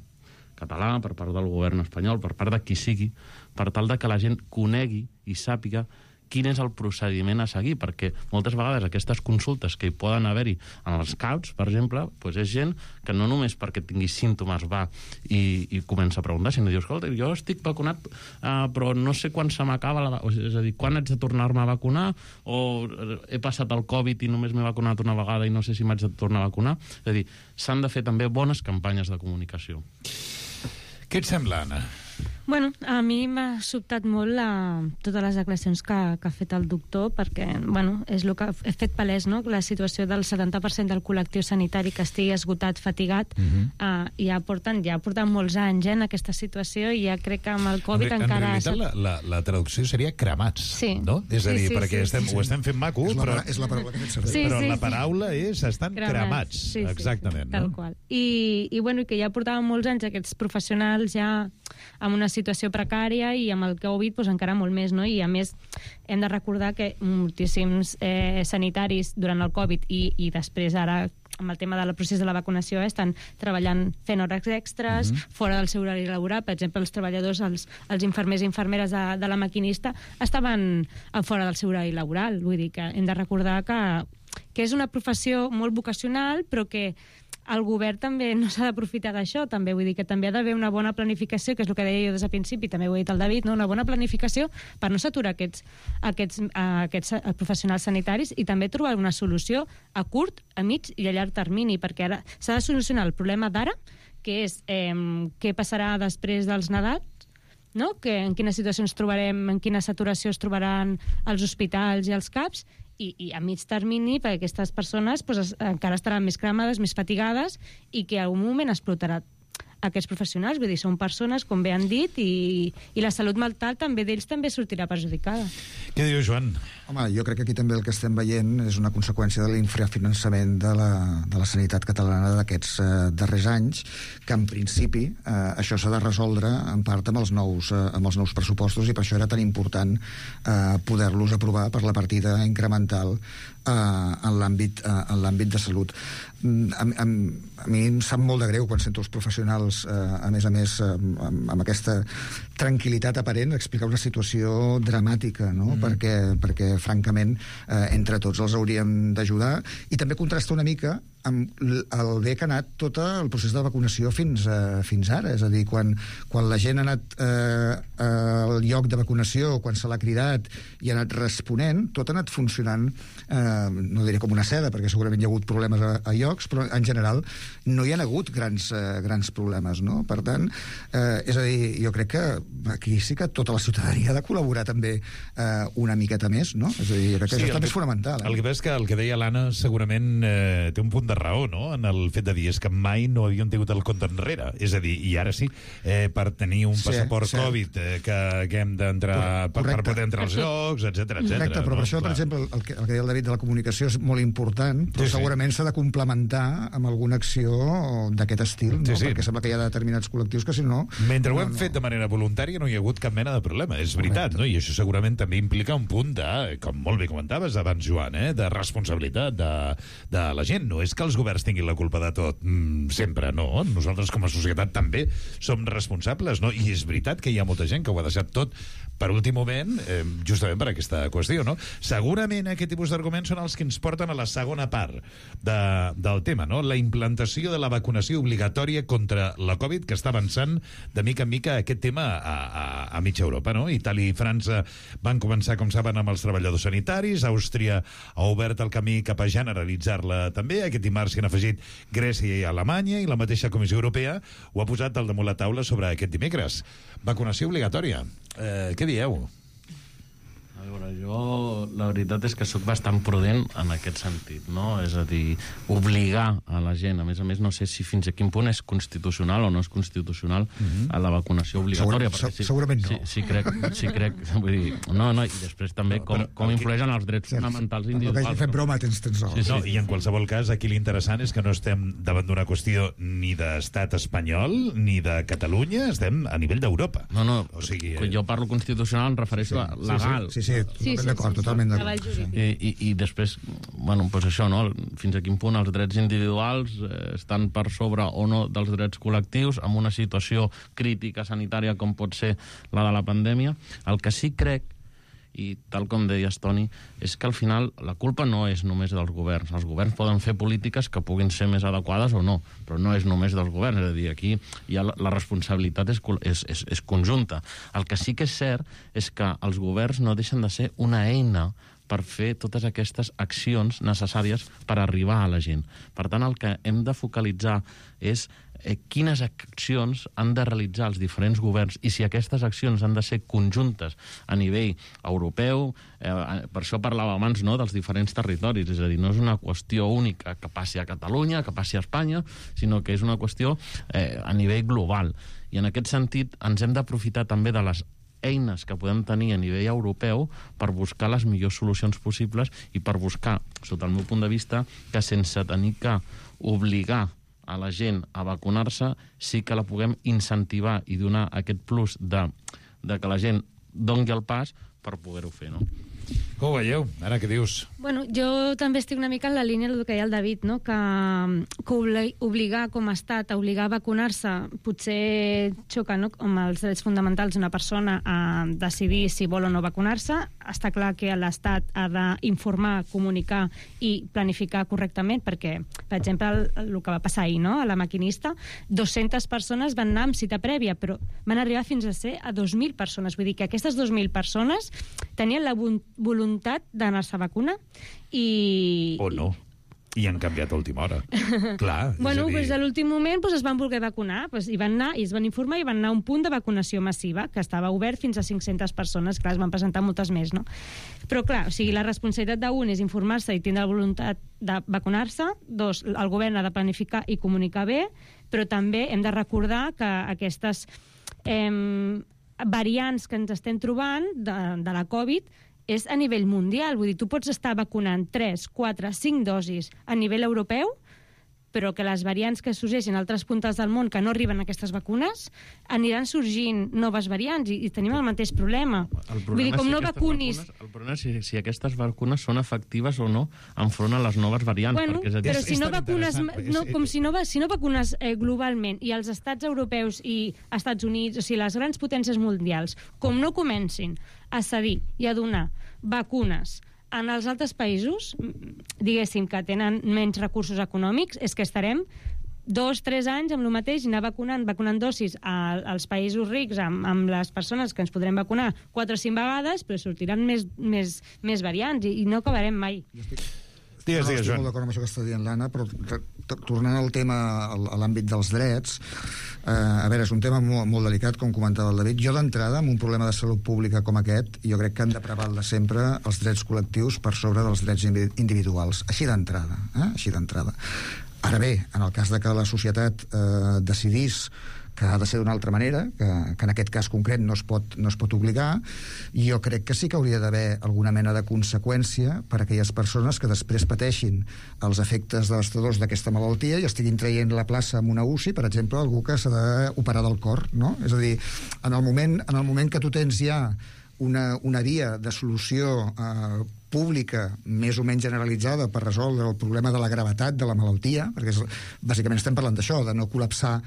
català, per part del govern espanyol, per part de qui sigui, per tal de que la gent conegui i sàpiga quin és el procediment a seguir, perquè moltes vegades aquestes consultes que hi poden haver-hi en els C A Uts, per exemple, doncs és gent que no només perquè tingui símptomes va i, i comença a preguntar, sinó diu, escolta, jo estic vacunat, uh, però no sé quan se m'acaba la... És a dir, quan haig de tornar-me a vacunar, o he passat el Covid i només m'he vacunat una vegada i no sé si m'haig de tornar a vacunar. És a dir, s'han de fer també bones campanyes de comunicació. Què et sembla, Anna? Bueno, a mi m'ha sobtat molt la, totes les declaracions que, que ha fet el doctor, perquè, bueno, és el que he fet palès, no?, la situació del setanta per cent del col·lectiu sanitari que estigui esgotat, fatigat, uh-huh. uh, ja porten ja porten molts anys eh, en aquesta situació, i ja crec que amb el Covid en, encara... En realitat, la, la, la traducció seria cremats, sí. no? És a dir, sí, sí, perquè sí, estem, sí. ho estem fent maco, és la, però... És la paraula que fet servir. Sí, però sí, la paraula sí. és estan cremats, cremats sí, sí, exactament. Tal no? qual. I, i, bueno, que ja portaven molts anys aquests professionals ja amb una situació precària, i amb el Covid pues, encara molt més, no? I a més hem de recordar que moltíssims eh, sanitaris durant el Covid i, i després ara amb el tema del procés de la vacunació eh, estan treballant fent hores extres, mm-hmm. fora del seu horari laboral. Per exemple, els treballadors, els, els infermers i infermeres de, de la maquinista estaven fora del seu horari laboral. Vull dir que hem de recordar que, que és una professió molt vocacional, però que el govern també no s'ha d'aprofitar d'això, també vull dir que també ha d'haver una bona planificació, que és el que deia jo des del principi, també ho ha dit el David, no? Una bona planificació per no saturar aquests, aquests, aquests professionals sanitaris, i també trobar una solució a curt, a mig i a llarg termini, perquè ara s'ha de solucionar el problema d'ara, que és eh, què passarà després dels Nadals, no? Que, en quina situació ens trobarem, en quina saturació es trobaran els hospitals i els C A Ps, I, i a mig termini, perquè aquestes persones pues, es, encara estaran més cremades, més fatigades, i que en algun moment explotarà aquests professionals. Vull dir, són persones, com bé han dit, i, i la salut mental també d'ells també sortirà perjudicada. Què diu, Joan? Home, jo crec que aquí també el que estem veient és una conseqüència de l'infrafinançament de la, de la sanitat catalana d'aquests eh, darrers anys, que en principi eh, això s'ha de resoldre en part amb els nous, eh, amb els nous pressupostos, i per això era tan important eh, poder-los aprovar per la partida incremental eh, en l'àmbit eh, en l'àmbit de salut. A, a, a mi em sap molt de greu quan sento els professionals, eh, a més a més, eh, amb, amb aquesta tranquil·litat aparent, explicar una situació dramàtica, no? Mm. Perquè, perquè, francament, eh, entre tots els hauríem d'ajudar, i també contrasta una mica amb el bé que ha anat tot el procés de vacunació fins, a, fins ara. És a dir, quan, quan la gent ha anat eh, al lloc de vacunació, quan se l'ha cridat i ha anat responent, tot ha anat funcionant, eh, no diré com una seda, perquè segurament hi ha hagut problemes a, a llocs, però en general no hi ha hagut grans, eh, grans problemes, no? Per tant, eh, és a dir, jo crec que aquí sí que tota la ciutadania ha de col·laborar també eh, una miqueta més, no? És a dir, jo crec que sí, això també és fonamental. Eh? El que és que el que deia l'Anna segurament eh, té un punt de raó, no?, en el fet de dir és que mai no havien tingut el compte enrere. És a dir, i ara sí, eh, per tenir un passaport sí, sí. Covid eh, que, que hem d'entrar per, per poder entrar als llocs, etcètera, etcètera. Correcte, però no? per això, Clar. per exemple, el que, el que deia el David de la comunicació és molt important, però sí, segurament s'ha de complementar amb alguna acció d'aquest estil, no? Sí, sí. Perquè sembla que hi ha determinats col·lectius que, si no... Mentre no, ho hem no. fet de manera voluntària no hi ha hagut cap mena de problema, és veritat, no? I això segurament també implica un punt de, com molt bé comentaves abans, Joan, eh? de responsabilitat de, de la gent. No és que els governs tinguin la culpa de tot, mm, sempre, no. Nosaltres com a societat també som responsables, no? I és veritat que hi ha molta gent que ho ha deixat tot per últim moment, eh, justament per aquesta qüestió, no? Segurament aquest tipus d'arguments són els que ens porten a la segona part de, del tema, no? La implantació de la vacunació obligatòria contra la Covid, que està avançant de mica en mica aquest tema a, a, a mitja Europa, no? Itàlia i França van començar, com saben, amb els treballadors sanitaris, Àustria ha obert el camí cap a generalitzar-la també, aquest dimarts s'hi han afegit Grècia i Alemanya, i la mateixa Comissió Europea ho ha posat al damunt la taula sobre aquest dimecres. Vacunació obligatòria. Eh, què dieu? A veure, jo la veritat és que sóc bastant prudent en aquest sentit, no? És a dir, obligar a la gent, a més a més no sé si fins a quin punt és constitucional o no és constitucional mm-hmm. a la vacunació obligatòria. Segur, si, segurament no. Sí, sí, crec, sí crec, vull dir, no, no, i després també no, com, com influeixen els drets fonamentals individuals. No, que fem broma, tens, tens raó. Sí, sí. No, i en qualsevol cas, aquí l'interessant és que no estem davant d'una qüestió ni d'estat espanyol ni de Catalunya, estem a nivell d'Europa. No, no, o sigui, quan jo parlo constitucional em refereixo sí, a legal. Sí, sí, sí, sí, sí d'acord, sí, sí, totalment d'acord. I, i, I després, bueno, doncs això, no? Fins a quin punt els drets individuals eh, estan per sobre o no dels drets col·lectius en una situació crítica sanitària com pot ser la de la pandèmia. El que sí crec, i tal com deies, Toni, és que al final la culpa no és només dels governs. Els governs poden fer polítiques que puguin ser més adequades o no, però no és només dels governs. És a dir, aquí ja la, la responsabilitat és, és, és, és conjunta. El que sí que és cert és que els governs no deixen de ser una eina per fer totes aquestes accions necessàries per arribar a la gent. Per tant, el que hem de focalitzar és eh, quines accions han de realitzar els diferents governs i si aquestes accions han de ser conjuntes a nivell europeu. Eh, per això parlava abans, no?, dels diferents territoris. És a dir, no és una qüestió única que passi a Catalunya, que passi a Espanya, sinó que és una qüestió eh, a nivell global. I en aquest sentit ens hem d'aprofitar també de les eines que podem tenir a nivell europeu per buscar les millors solucions possibles i per buscar, sota el meu punt de vista, que sense tenir que obligar a la gent a vacunar-se, sí que la puguem incentivar i donar aquest plus de, de que la gent doni el pas per poder-ho fer, no? Com ho veieu? Ara què dius? Bueno, jo també estic una mica en la línia del que deia el David, no? que, que obligar com a estat a obligar a vacunar-se potser xoca, no?, amb els drets fonamentals d'una persona a decidir si vol o no vacunar-se. Està clar que l'estat ha d'informar, comunicar i planificar correctament, perquè, per exemple, el, el que va passar ahir, no?, a la maquinista, dues-centes persones van anar amb cita prèvia, però van arribar fins a ser a dos mil persones. Vull dir que aquestes dos mil persones tenien la voluntat d'anar-se a vacunar i... O no. I han canviat a última hora. Clar, bueno, és a dir... pues a l'últim moment pues, es van voler vacunar, pues, i van anar i es van informar i van anar a un punt de vacunació massiva que estava obert fins a cinc-centes persones. Clar, es van presentar moltes més, no? Però clar, o sigui, la responsabilitat d'un és informar-se i tindre la voluntat de vacunar-se. Dos, el govern ha de planificar i comunicar bé, però també hem de recordar que aquestes eh, variants que ens estem trobant de, de la Covid és a nivell mundial. Vull dir, tu pots estar vacunant tres, quatre, cinc dosis a nivell europeu, però que les variants que sorgeixen a altres puntes del món que no arriben a aquestes vacunes, aniran sorgint noves variants i, i tenim el mateix problema. El problema Vull dir, com si no vacunis... Vacunes, el problema és si, si aquestes vacunes són efectives o no enfront a les noves variants. Bueno, perquè és a dir, però si és no tan vacunes, no, és, com si no, si no vacunes eh, globalment i els estats europeus i Estats Units, o sigui, les grans potències mundials, com no comencin a cedir i a donar vacunes en els altres països, diguéssim, que tenen menys recursos econòmics, és que estarem dos, tres anys amb el mateix i anar vacunant, vacunant dosis a, als països rics amb, amb les persones que ens podrem vacunar quatre o cinc vegades, però sortiran més, més, més variants i, i no acabarem mai. Digues, no, digues, estic Joan. molt d'acord amb això que està dient l'Anna, però tornant al tema, a l'àmbit dels drets, eh, a veure, és un tema molt, molt delicat, com comentava el David. Jo d'entrada, amb un problema de salut pública com aquest, jo crec que han de prevaldre sempre els drets col·lectius per sobre dels drets individuals. Així d'entrada, eh? Així d'entrada. Ara bé, en el cas de que la societat eh, decidís que ha de ser d'una altra manera, que, que en aquest cas concret no es, pot, no es pot obligar, jo crec que sí que hauria d'haver alguna mena de conseqüència per a aquelles persones que després pateixin els efectes devastadors d'aquesta malaltia i estiguin traient la plaça en una U C I, per exemple, algú que s'ha d'operar del cor, no? És a dir, en el moment, en el moment que tu tens ja una, una via de solució eh, pública més o menys generalitzada per resoldre el problema de la gravetat de la malaltia, perquè és, bàsicament estem parlant d'això, de no col·lapsar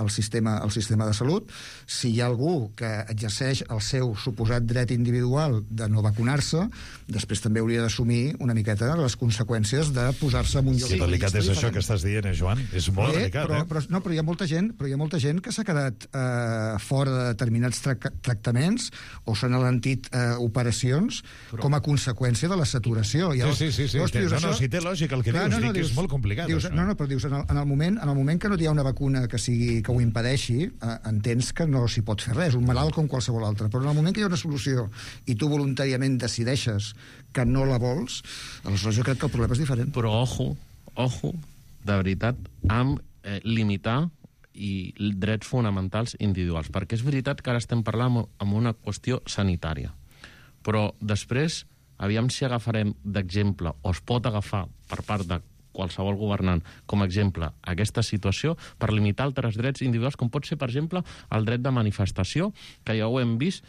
el sistema, el sistema de salut. Si hi ha algú que exerceix el seu suposat dret individual de no vacunar-se, després també hauria d'assumir una miqueta les conseqüències de posar-se en un lloc... Sí, delicat és això que estàs dient, eh, Joan? És molt eh, delicat, però, eh? Però, no, però hi ha molta gent, però hi ha molta gent que s'ha quedat eh, fora de determinats tra tractaments o s'han alentit eh, operacions però... com a conseqüència de la saturació. I sí, sí, sí, sí. Llavors, té, dius, no, això... no, si té lògica el que Clar, dius, no, no, dic que dius, és molt complicat. Dius, no, no, però dius, en el, en el, moment, en el moment que no hi ha una vacuna que, sigui, que ho impedeixi, eh, entens que no s'hi pot fer res, un malalt com qualsevol altre, però en el moment que hi ha una solució i tu voluntàriament decideixes que no la vols, aleshores jo crec que el problema és diferent. Però ojo, ojo, de veritat, amb eh, limitar i drets fonamentals individuals, perquè és veritat que ara estem parlant amb una qüestió sanitària, però després, aviam si agafarem d'exemple, o es pot agafar per part de qualsevol governant com a exemple aquesta situació per limitar altres drets individuals, com pot ser, per exemple, el dret de manifestació, que ja ho hem vist,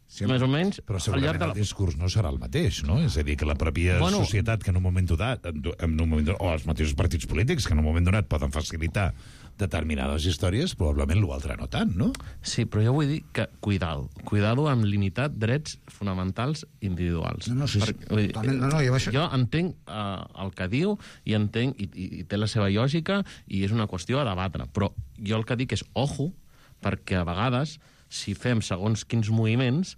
sí, més o menys... Però segurament de la... el discurs no serà el mateix, no? És a dir, que la pròpia bueno, societat que en un moment donat, en un moment donat, o els mateixos partits polítics que en un moment donat poden facilitar determinades històries, probablement l'altre no tant, no? Sí, però jo vull dir que cuidado, cuidado amb limitar drets fonamentals individuals. No, no, sí, sí. Per, dir, no, no, jo, això... jo entenc uh, el que diu i entenc, i, i, i té la seva lògica, i és una qüestió a debatre, però jo el que dic és ojo, perquè a vegades, si fem segons quins moviments,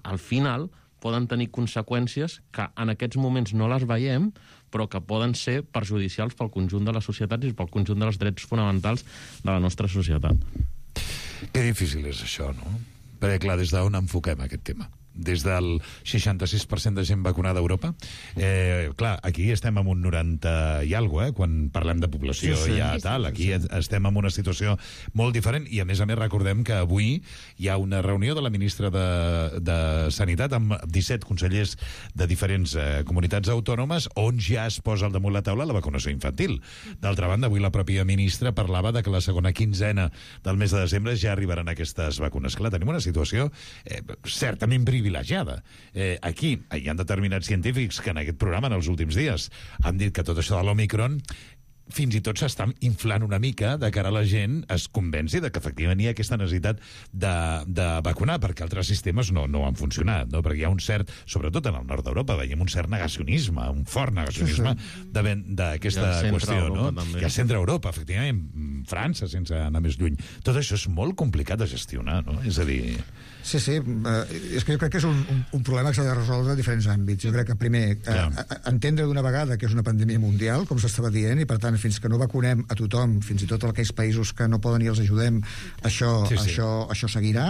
al final poden tenir conseqüències que en aquests moments no les veiem, però que poden ser perjudicials pel conjunt de la societat i pel conjunt dels drets fonamentals de la nostra societat. Que difícil és això, no? Perquè, clar, des d'on enfoquem aquest tema? Des del seixanta-sis per cent de gent vacunada a Europa. Eh, clar, aquí estem amb un noranta i alguna cosa, eh, quan parlem de població sí, sí. ja tal. Aquí sí, sí. estem en una situació molt diferent i, a més a més, recordem que avui hi ha una reunió de la ministra de, de Sanitat amb disset consellers de diferents eh, comunitats autònomes on ja es posa al damunt la taula la vacunació infantil. D'altra banda, avui la pròpia ministra parlava de que la segona quinzena del mes de desembre ja arribaran aquestes vacunes. Clar, tenim una situació eh, certament privilegiada privilegiada. Eh, aquí hi ha determinats científics que en aquest programa, en els últims dies, han dit que tot això de l'Omicron fins i tot s'està inflant una mica de cara a la gent es convenci de que efectivament hi ha aquesta necessitat de, de vacunar, perquè altres sistemes no, no han funcionat, no? Perquè hi ha un cert, sobretot en el nord d'Europa, veiem un cert negacionisme, un fort negacionisme sí, sí. d'aquesta qüestió, Europa, no? També. Que al centre Europa, efectivament, França, sense anar més lluny. Tot això és molt complicat de gestionar, no? És a dir... Sí, sí, és que jo crec que és un, un, un problema que s'ha de resoldre en diferents àmbits. Jo crec que, primer, eh, entendre d'una vegada que és una pandèmia mundial, com s'estava dient, i per tant, fins que no vacunem a tothom, fins i tot aquells països que no poden i els ajudem, això, sí, sí. això, això seguirà.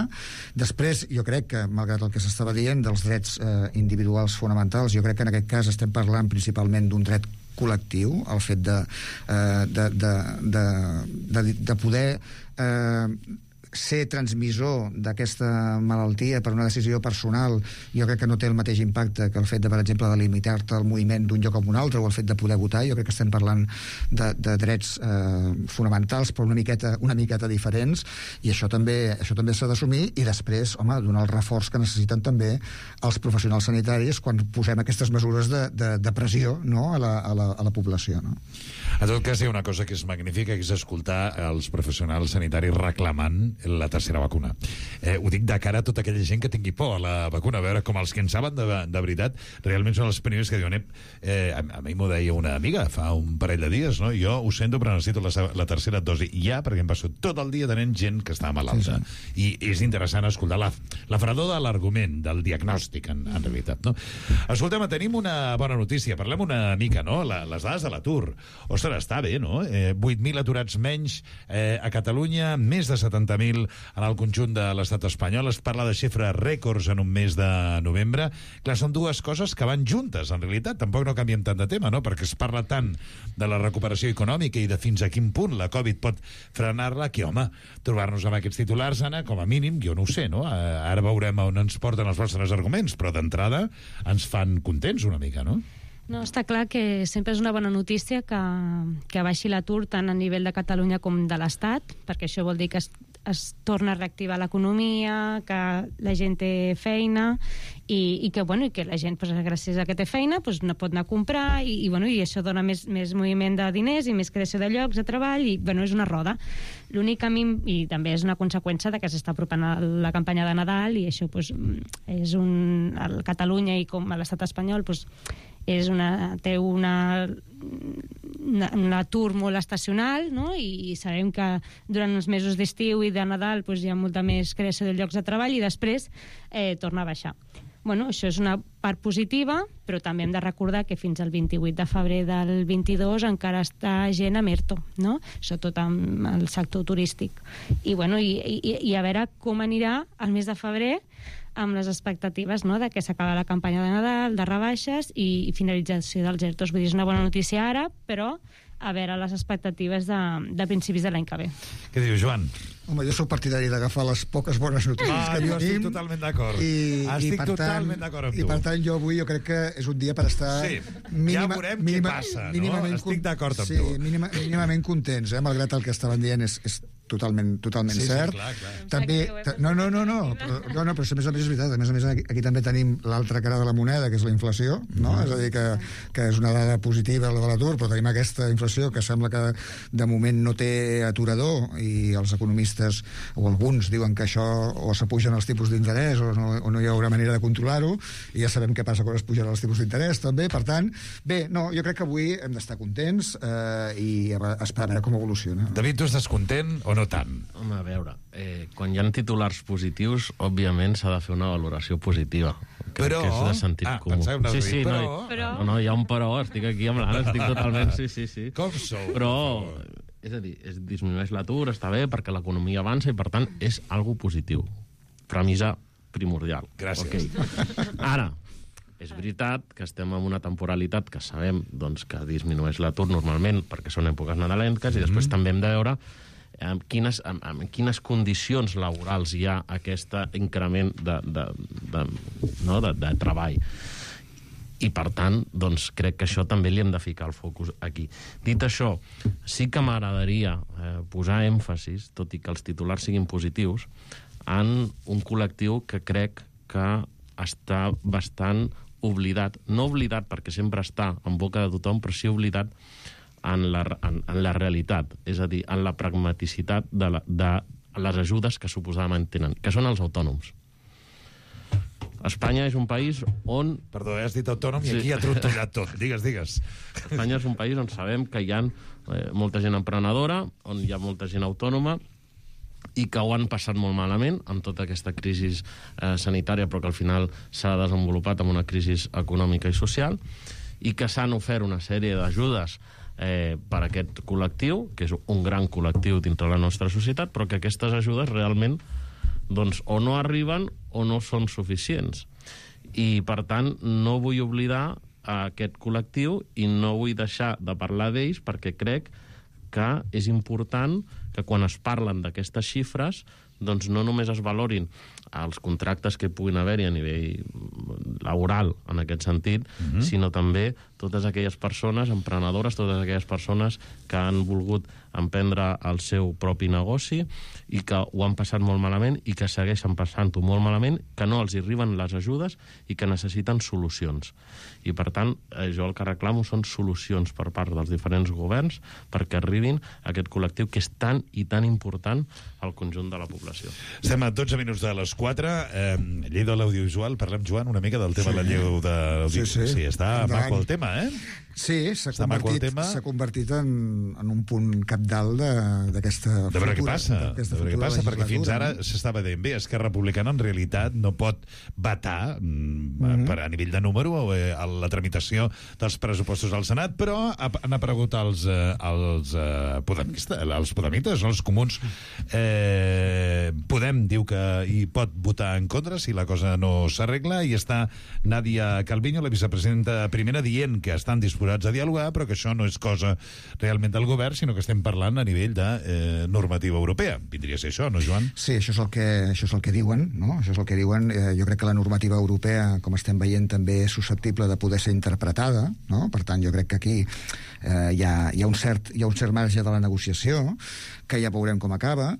Després, jo crec que, malgrat el que s'estava dient dels drets eh, individuals fonamentals, jo crec que en aquest cas estem parlant principalment d'un dret col·lectiu, el fet de, eh, de, de, de, de, de poder... Eh, ser transmissor d'aquesta malaltia per una decisió personal, jo crec que no té el mateix impacte que el fet de, per exemple, de limitar-te el moviment d'un lloc a un altre o el fet de poder votar. Jo crec que estem parlant de, de drets eh, fonamentals, però una miqueta, una miqueta diferents, i això també això també s'ha d'assumir, i després, home, donar el reforç que necessiten també els professionals sanitaris quan posem aquestes mesures de, de, de pressió, no?, a, la, a, la, a la població, no? En tot cas, hi ha una cosa que és magnífica, que és escoltar els professionals sanitaris reclamant la tercera vacuna. Eh, ho dic de cara a tota aquella gent que tingui por a la vacuna, a veure com els que en saben de, de veritat realment són els primers que diuen eh, a, a mi m'ho deia una amiga fa un parell de dies, no? Jo ho sento però necessito la, la tercera dosi ja, perquè em passo tot el dia tenint gent que està malalta. Sí, sí. I és interessant escoltar la, la fredor de l'argument, del diagnòstic, en, en realitat, no? Escoltem, tenim una bona notícia, parlem una mica, no? La, les dades de l'atur. Ostres, està bé, no? Eh, vuit mil aturats menys eh, a Catalunya, més de setanta mil en el conjunt de l'estat espanyol. Es parla de xifres rècords en un mes de novembre. Clar, són dues coses que van juntes, en realitat. Tampoc no canviem tant de tema, no? Perquè es parla tant de la recuperació econòmica i de fins a quin punt la Covid pot frenar-la, que, home, trobar-nos amb aquests titulars, Anna, com a mínim, jo no ho sé, no? Ara veurem on ens porten els vostres arguments, però d'entrada ens fan contents una mica, no? No, està clar que sempre és una bona notícia que, que baixi l'atur tant a nivell de Catalunya com de l'Estat, perquè això vol dir que es, es torna a reactivar l'economia, que la gent té feina i, i que, bueno, i que la gent, pues, gràcies a que té feina, pues, no pot anar a comprar i, i, bueno, i això dona més, més moviment de diners i més creació de llocs de treball i, bueno, és una roda. L'únic camí, i també és una conseqüència de que s'està apropant a la campanya de Nadal i això, pues, és un... a Catalunya i com a l'estat espanyol, pues, és una, té una, una, un atur molt estacional, no? I, i sabem que durant els mesos d'estiu i de Nadal pues, hi ha molta més creació de llocs de treball i després eh, torna a baixar. Bueno, això és una part positiva, però també hem de recordar que fins al vint-i-vuit de febrer del vint-i-dos encara està gent amb ERTO, no? Sobretot amb el sector turístic. I, bueno, i, i, i a veure com anirà el mes de febrer amb les expectatives, no?, de que s'acaba la campanya de Nadal, de rebaixes i, i finalització dels ERTOs. Vull dir, és una bona notícia ara, però a veure les expectatives de, de principis de l'any que ve. Què diu, Joan? Home, jo sóc partidari d'agafar les poques bones notícies ah, que jo tenim. estic totalment d'acord. I, estic i per totalment tant, d'acord amb tu. I per tant, jo avui jo crec que és un dia per estar... Sí, mínima, ja veurem mínima, què passa, mínimament, no? Estic d'acord amb sí, tu. Mínima, mínimament contents, eh? Malgrat el que estaven dient és, és totalment, totalment sí, cert. Sí, clar, clar. També, no, no, no, no, però, no, no, però a més a més és veritat. A més a més, aquí, aquí també tenim l'altra cara de la moneda, que és la inflació, no? Mm. És a dir, que, que és una dada positiva, la de l'atur, però tenim aquesta inflació que sembla que de moment no té aturador i els economistes, o alguns, diuen que això o s'apugen els tipus d'interès o, no, o no hi haurà manera de controlar-ho, i ja sabem què passa quan es pugen els tipus d'interès, també. Per tant, bé, no, jo crec que avui hem d'estar contents eh, i esperar a veure com evoluciona. David, tu estàs content o no tant? Home, a veure, eh, quan hi ha titulars positius, òbviament s'ha de fer una valoració positiva. Però... Que és de sentit ah, comú. Pensava, sí, sí, però... no, però... No, no, hi ha un però, estic aquí amb l'Anna, estic totalment... Sí, sí, sí. Com sou? Però, és a dir, es disminueix l'atur, està bé, perquè l'economia avança i, per tant, és algo positiu. Premissa primordial. Gràcies. Okay. Ara, és veritat que estem en una temporalitat que sabem doncs, que disminueix l'atur normalment perquè són èpoques nadalenques i després mm. també hem de veure en quines, en, en quines condicions laborals hi ha aquest increment de, de, de, no, de, de treball. I, per tant, doncs, crec que això també li hem de ficar el focus aquí. Dit això, sí que m'agradaria eh, posar èmfasis, tot i que els titulars siguin positius, en un col·lectiu que crec que està bastant oblidat. No oblidat perquè sempre està en boca de tothom, però sí oblidat en la, en, en la realitat, és a dir, en la pragmaticitat de, la, de les ajudes que suposadament tenen, que són els autònoms. Espanya és un país on... Perdó, has dit autònom i sí. Aquí ha trontollat tot. Digues, digues. Espanya és un país on sabem que hi ha eh, molta gent emprenedora, on hi ha molta gent autònoma, i que ho han passat molt malament amb tota aquesta crisi eh, sanitària, però que al final s'ha desenvolupat amb una crisi econòmica i social, i que s'han ofert una sèrie d'ajudes eh, per a aquest col·lectiu, que és un gran col·lectiu dintre la nostra societat, però que aquestes ajudes realment doncs, o no arriben o no són suficients. I, per tant, no vull oblidar a aquest col·lectiu i no vull deixar de parlar d'ells perquè crec que és important que quan es parlen d'aquestes xifres doncs no només es valorin als contractes que puguin haver-hi a nivell laboral, en aquest sentit, Mhm. sinó també totes aquelles persones, emprenedores, totes aquelles persones que han volgut emprendre el seu propi negoci i que ho han passat molt malament i que segueixen passant-ho molt malament, que no els hi arriben les ajudes i que necessiten solucions. I, per tant, eh, jo el que reclamo són solucions per part dels diferents governs perquè arribin a aquest col·lectiu que és tan i tan important al conjunt de la població. Estem a dotze minuts de les quatre. Eh, llei de l'audiovisual. Parlem, Joan, una mica del tema Sí. de la llei de l'audiovisual. Sí, sí. sí, està Endavant. maco el tema, eh? Sí, s'ha Està maco el convertit, tema. s'ha convertit en, en un punt capdalt de- d'aquesta De veure què futura- passa, d'aquesta de veure què futura passa, perquè fins legislatura, ara no? s'estava dient bé, Esquerra Republicana en realitat no pot vetar mm, Mhm. per a nivell de número eh, a la tramitació dels pressupostos al Senat, però ha- han aparegut els, eh, els, eh, podemista, els podemites, els comuns. Eh, Podem diu que hi pot votar en contra si la cosa no s'arregla, i està Nadia Calviño, la vicepresidenta primera, dient que estan disposats a dialogar, però que això no és cosa realment del govern, sinó que estem parlant a nivell de eh, normativa europea. Vindria a ser això, no, Joan? Sí, això és el que, això és el que diuen, no? Això és el que diuen. Eh, jo crec que la normativa europea, com estem veient, també és susceptible de poder ser interpretada, no? Per tant, jo crec que aquí eh, hi, ha, hi, ha un cert, hi ha un cert marge de la negociació, que ja veurem com acaba.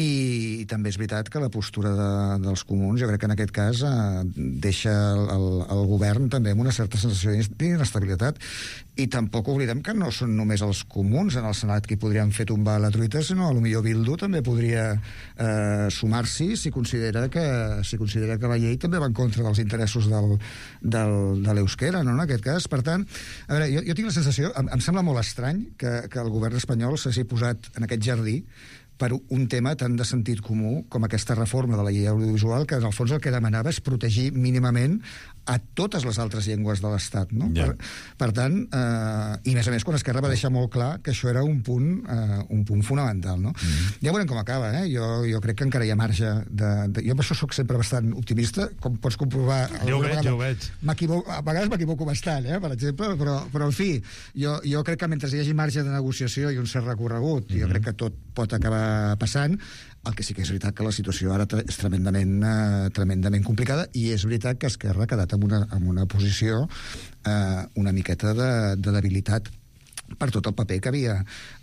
I també és veritat que la postura de, dels comuns, jo crec que en aquest cas eh, deixa el, el, el govern també amb una certa sensació d'inestabilitat. I tampoc oblidem que no són només els comuns en el Senat qui podrien fer tombar la truita, sinó a lo millor Bildu també podria eh, sumar-s'hi si considera que si considera que la llei també va en contra dels interessos del, del, de l'euskera, no, en aquest cas. Per tant, a veure, jo, jo tinc la sensació, em, em sembla molt estrany que, que el govern espanyol s'hagi posat en aquest jardí per un tema tan de sentit comú com aquesta reforma de la llei audiovisual, que en el fons el que demanava és protegir mínimament a totes les altres llengües de l'Estat, no? Ja. Per, per tant, eh, i a més a més quan Esquerra va deixar molt clar que això era un punt, eh, un punt fonamental, no? Mm-hmm. Ja veurem com acaba, eh? Jo, jo crec que encara hi ha marge de, de... Jo per això soc sempre bastant optimista, com pots comprovar... Ja ho veig, ja ho veig. M'equivoco, a vegades m'equivoco bastant, eh, per exemple, però, però en fi, jo, jo crec que mentre hi hagi marge de negociació i un cert recorregut, mm-hmm. jo crec que tot pot acabar passant. El que sí que és veritat que la situació ara és tremendament, eh, tremendament complicada, i és veritat que Esquerra ha quedat en una, en una posició eh, una miqueta de, de debilitat per tot el paper que havia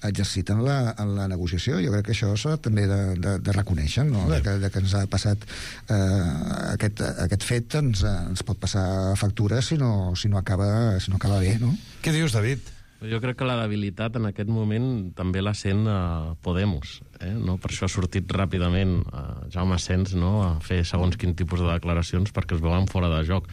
exercit en la, en la negociació. Jo crec que això s'ha també de, de, de reconèixer, no? De, que, de que ens ha passat eh, aquest, aquest fet ens, ens pot passar factura si no, si no, acaba, si no acaba bé, no? Què dius, David? Jo crec que la debilitat en aquest moment també la sent uh, Podemos. Eh? No? Per això ha sortit ràpidament uh, Jaume Asens, no? A fer segons quin tipus de declaracions perquè es veuen fora de joc.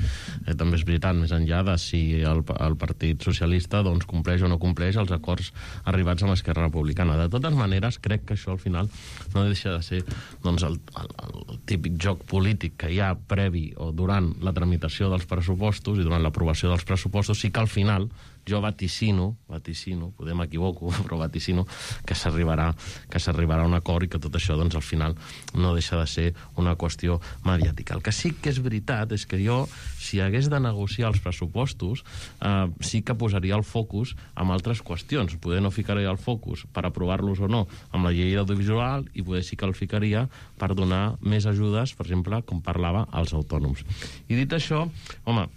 Eh, també és veritat, més enllà de si el, el Partit Socialista doncs, compleix o no compleix els acords arribats amb Esquerra Republicana. De totes maneres, crec que això al final no deixa de ser doncs, el, el, el típic joc polític que hi ha previ o durant la tramitació dels pressupostos i durant l'aprovació dels pressupostos, sí que al final jo vaticino, vaticino, podem equivoco, però vaticino que s'arribarà que s'arribarà a un acord i que tot això, doncs, al final no deixa de ser una qüestió mediàtica. El que sí que és veritat és que jo, si hagués de negociar els pressupostos, eh, sí que posaria el focus en altres qüestions. Poder no ficaria el focus per aprovar-los o no amb la llei audiovisual i poder sí que el ficaria per donar més ajudes, per exemple, com parlava, als autònoms. I dit això, home,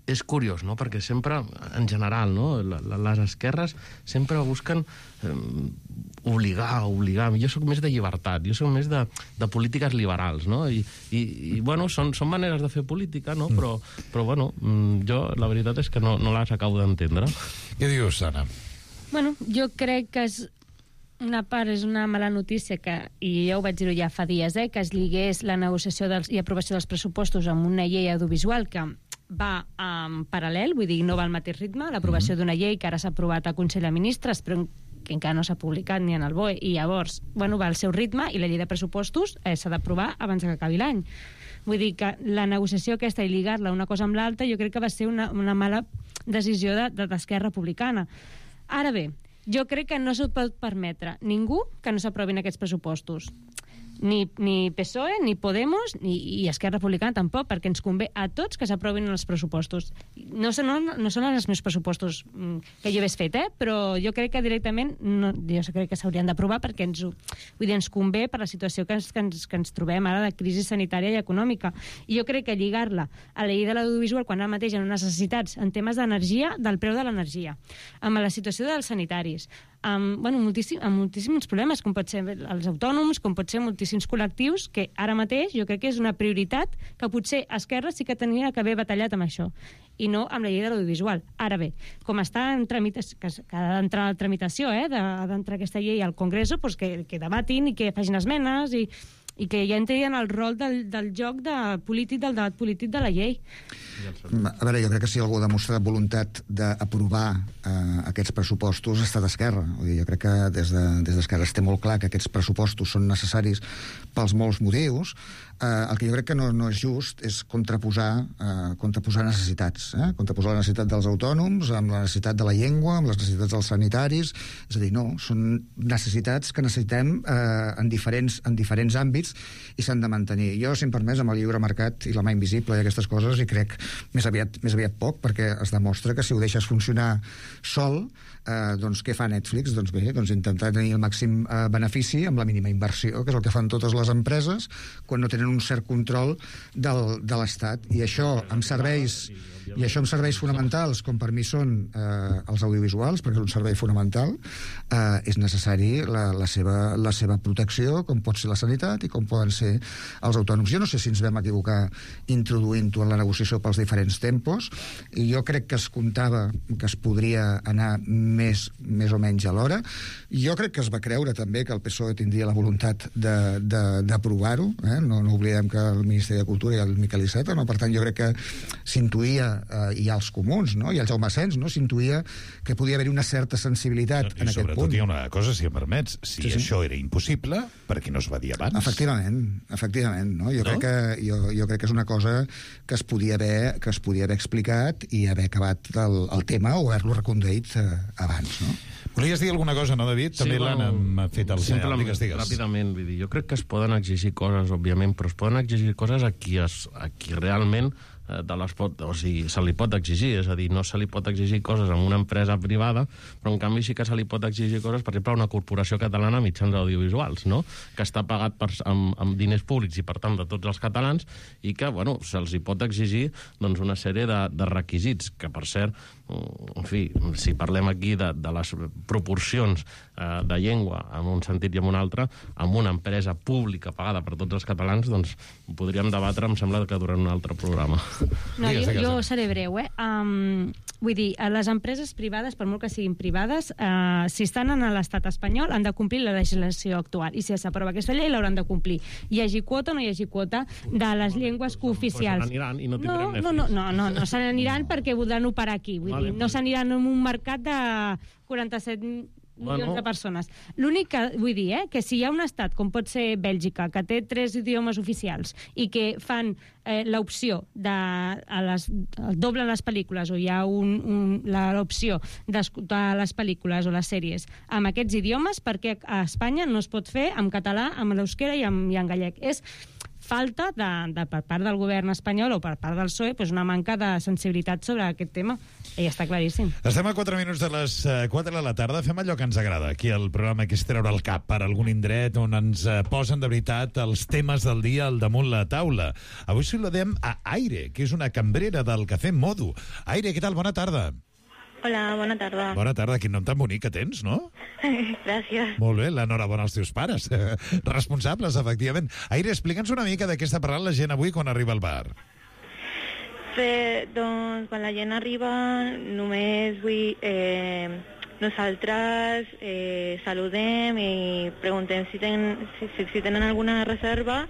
és curiós, no?, perquè sempre, en general, no?, les esquerres sempre busquen eh, obligar, obligar. Jo sóc més de llibertat, jo sóc més de, de polítiques liberals, no?, i, i, i bueno, són, són maneres de fer política, no?, però, però bueno, jo la veritat és que no, no les acabo d'entendre. Què dius, Anna? Bueno, jo crec que és una part és una mala notícia que, i ja ho vaig dir ja fa dies, eh, que es lligués la negociació dels, i aprovació dels pressupostos amb una llei audiovisual que va en paral·lel, vull dir, no va al mateix ritme, l'aprovació mm-hmm. d'una llei que ara s'ha aprovat al Consell de Ministres, però que encara no s'ha publicat ni en el B O E, i llavors, bueno, va al seu ritme, i la llei de pressupostos eh, s'ha d'aprovar abans que acabi l'any. Vull dir que la negociació aquesta i lligar-la una cosa amb l'altra jo crec que va ser una, una mala decisió de, de d'Esquerra Republicana. Ara bé, jo crec que no se'l pot permetre ningú que no s'aprovin aquests pressupostos. Ni, ni P S O E, ni Podemos, ni, i Esquerra Republicana tampoc, perquè ens convé a tots que s'aprovin els pressupostos. No, no, no són els meus pressupostos que jo hagués fet, eh? Però jo crec que directament no, jo crec que s'haurien d'aprovar perquè ens, vull dir, ens convé per la situació que ens, que, ens, que ens trobem ara de crisi sanitària i econòmica. I jo crec que lligar-la a la llei de l'audiovisual quan ara mateix hi ha necessitats en temes d'energia, del preu de l'energia, amb la situació dels sanitaris, amb, bueno, moltíssim, amb moltíssims problemes, com pot ser els autònoms, com pot ser moltíssims col·lectius, que ara mateix jo crec que és una prioritat que potser Esquerra sí que tenia que haver batallat amb això, i no amb la llei de l'audiovisual. Ara bé, com està en tramitació, que, que ha d'entrar a la tramitació, eh, d'entrar aquesta llei al Congreso, pues que, que debatin i que facin esmenes i, i que ja entrin en el rol del, del joc de polític, del debat polític de la llei. A veure, jo crec que si algú ha demostrat voluntat d'aprovar eh, aquests pressupostos ha estat Esquerra. Vull dir, jo crec que des d'Esquerra de, es té molt clar que aquests pressupostos són necessaris pels molts motius. Eh, el que jo crec que no, no és just és contraposar, eh, contraposar necessitats. Eh? Contraposar la necessitat dels autònoms amb la necessitat de la llengua, amb les necessitats dels sanitaris. És a dir, no, són necessitats que necessitem eh, en, diferents, en diferents àmbits i s'han de mantenir. Jo, si em permès, amb el lliure mercat i la mà invisible i aquestes coses, i crec més aviat, més aviat poc, perquè es demostra que si ho deixes funcionar sol, eh, doncs què fa Netflix? Doncs bé, doncs intentar tenir el màxim eh, benefici amb la mínima inversió, que és el que fan totes les empreses quan no tenen un cert control del, de l'Estat. I això amb serveis i això amb serveis fonamentals, com per mi són eh, els audiovisuals, perquè és un servei fonamental, eh, és necessari la, la, seva, la seva protecció, com pot ser la sanitat i com poden ser els autònoms. Jo no sé si ens vam equivocar introduint-ho en la negociació pels diferents tempos, i jo crec que es comptava que es podria anar més, més o menys a l'hora. Jo crec que es va creure també que el P S O E tindria la voluntat d'aprovar-ho, eh? no, no oblidem que el Ministeri de Cultura i el Miquel Iceta, no? Per tant jo crec que s'intuïa, eh, i els comuns, no? I el Jaume Asens, no? S'intuïa que podia haver-hi una certa sensibilitat I en aquest punt. sobretot hi ha una cosa, si em permets, si Sí, sí. això era impossible, per què no es va dir abans? Efectivament, efectivament, no? Jo, No? crec que, jo, jo crec que és una cosa que es podia haver, que es podia haver explicat i haver acabat el, el tema o haver-lo reconduït eh, abans, no? Volies dir alguna cosa, no, David? També Sí, l'Anna bueno, m'ha fet el senyal. simplement, Digues, digues. Ràpidament, vull dir, jo crec que es poden exigir coses, òbviament, però es poden exigir coses a qui, es, a qui realment eh, de les pot, o sigui, se li pot exigir, és a dir, no se li pot exigir coses a una empresa privada, però en canvi sí que se li pot exigir coses, per exemple, a una corporació catalana de mitjans audiovisuals, no? Que està pagat per, amb, amb diners públics i, per tant, de tots els catalans, i que, bueno, se'ls hi pot exigir doncs, una sèrie de, de requisits, que, per cert, en fi, si parlem aquí de, de les proporcions eh, de llengua en un sentit i en un altre, amb una empresa pública pagada per tots els catalans, doncs ho podríem debatre, em sembla que durant un altre programa. No, jo, jo seré breu, eh? Um, vull dir, les empreses privades, per molt que siguin privades, uh, si estan en l'estat espanyol, han de complir la legislació actual. I si s'aprova aquesta llei, l'hauran de complir. Hi hagi quota o no hi hagi quota de les llengües cooficials. Pues aniran i no No, tindrem no, no, no, no, no se n'aniran perquè voldran operar aquí. Vull Vale, dir, no s'aniran en un mercat de quaranta-set milions Bueno. de persones. L'únic que vull dir, eh, que si hi ha un estat, com pot ser Bèlgica, que té tres idiomes oficials i que fan eh, l'opció de a les, doblen les pel·lícules o hi ha un, un, l'opció d'escoltar les pel·lícules o les sèries amb aquests idiomes, perquè a Espanya no es pot fer en català, amb l'euskera i, amb, i en gallec. És falta de, de, per part del govern espanyol o per part del P S O E, pues una manca de sensibilitat sobre aquest tema. I està claríssim. Estem a quatre minuts de les eh, quatre de la tarda. Fem allò que ens agrada aquí al programa, que és treure el cap per algun indret on ens eh, posen de veritat els temes del dia al damunt la taula. Avui saludem a Aire, que és una cambrera del Cafè Modo. Aire, què tal? Bona tarda. Hola, bona tarda. Bona tarda. Quin nom tan bonic que tens, no? Gràcies. Molt bé, l'enhorabona als teus pares. Responsables, efectivament. Aire, explica'ns una mica de què està parlant la gent avui quan arriba al bar. Bé, doncs, quan la gent arriba, només vull... Eh, nosaltres eh, saludem i preguntem si, ten, si, si tenen alguna reserva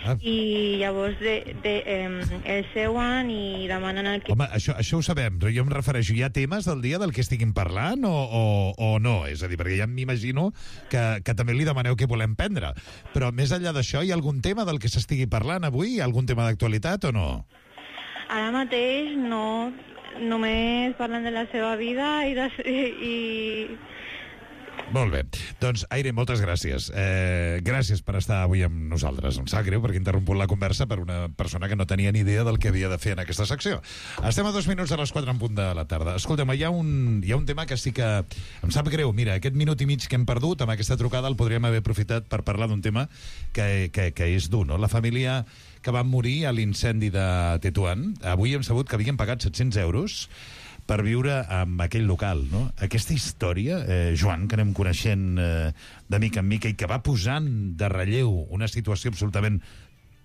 ah. i llavors de, de, eh, el seuen i demanen el que... Home, això, això ho sabem, però jo em refereixo, hi ha temes del dia del que estiguin parlant o, o, o no? És a dir, perquè ja m'imagino que, que també li demaneu què volem prendre. Però més enllà d'això, hi ha algun tema del que s'estigui parlant avui? Hi ha algun tema d'actualitat o no? Ara mateix no, només parlen de la seva vida i, de, i, Molt bé. Doncs, Aire, moltes gràcies. Eh, gràcies per estar avui amb nosaltres. Em sap greu perquè he interromput la conversa per una persona que no tenia ni idea del que havia de fer en aquesta secció. Estem a dos minuts a les quatre en punt de la tarda. Escolta'm, hi ha un, hi ha un tema que sí que em sap greu. Mira, aquest minut i mig que hem perdut amb aquesta trucada el podríem haver aprofitat per parlar d'un tema que, que, que és dur, no? La família que va morir a l'incendi de Tetuan, avui hem sabut que havien pagat set-cents euros per viure en aquell local, no? Aquesta història, eh, Joan, que anem coneixent eh, de mica en mica i que va posant de relleu una situació absolutament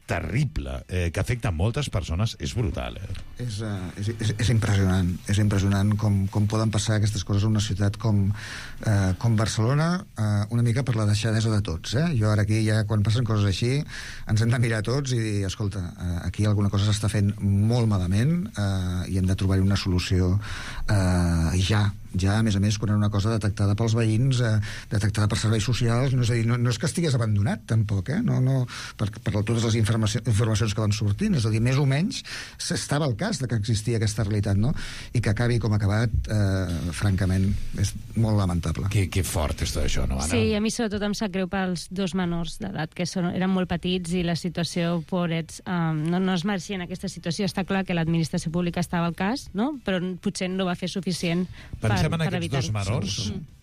terrible, eh, que afecta moltes persones, és brutal. Eh? És, uh, és, és, és impressionant. És impressionant com, com poden passar aquestes coses en una ciutat com, uh, com Barcelona, uh, una mica per la deixadesa de tots. Eh? Jo ara aquí, ja quan passen coses així, ens hem de mirar tots i dir, escolta, uh, aquí alguna cosa s'està fent molt malament uh, i hem de trobar-hi una solució uh, ja. Ja, a més a més, quan era una cosa detectada pels veïns, eh, detectada per serveis socials, no és a dir, no, no és que estigués abandonat, tampoc, eh? No, no, per, per totes les informacions, informacions que van sortint, és a dir, més o menys s'estava al cas de que existia aquesta realitat, no? I que acabi com ha acabat, eh, francament, és molt lamentable. Que, que fort és tot això, no, Anna? Sí, a mi sobretot em sap greu pels dos menors d'edat, que són, eren molt petits i la situació, pobrets, um, no, no es mereixien aquesta situació. Està clar que l'administració pública estava al cas, no? Però potser no va fer suficient per Pensem en aquests dos menors,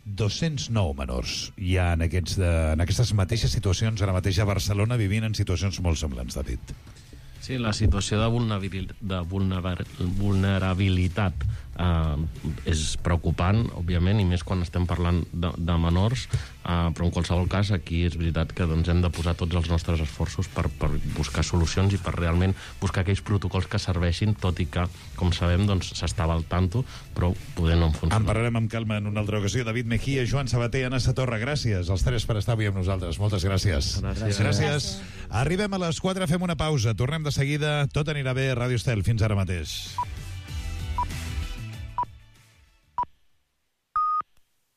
dos-cents nou menors hi ha en, aquests de, en aquestes mateixes situacions ara mateix a Barcelona vivint en situacions molt semblants, David. Sí, la situació de, vulnerabil, de vulner, vulnerabilitat eh, és preocupant, òbviament, i més quan estem parlant de, de menors, eh, però en qualsevol cas aquí és veritat que doncs, hem de posar tots els nostres esforços per, per buscar solucions i per realment buscar aquells protocols que serveixin, tot i que, com sabem, doncs, s'estava al tanto, però poder no en funcionar. En parlarem amb calma en una altra ocasió. David Mejía, Joan Sabater, Anna Satorra, gràcies als tres per estar avui amb nosaltres. Moltes gràcies. Gràcies. Gràcies. Arribem a les quatre, fem una pausa. Tornem de seguida. Tot anirà bé a Ràdio Estel. Fins ara mateix.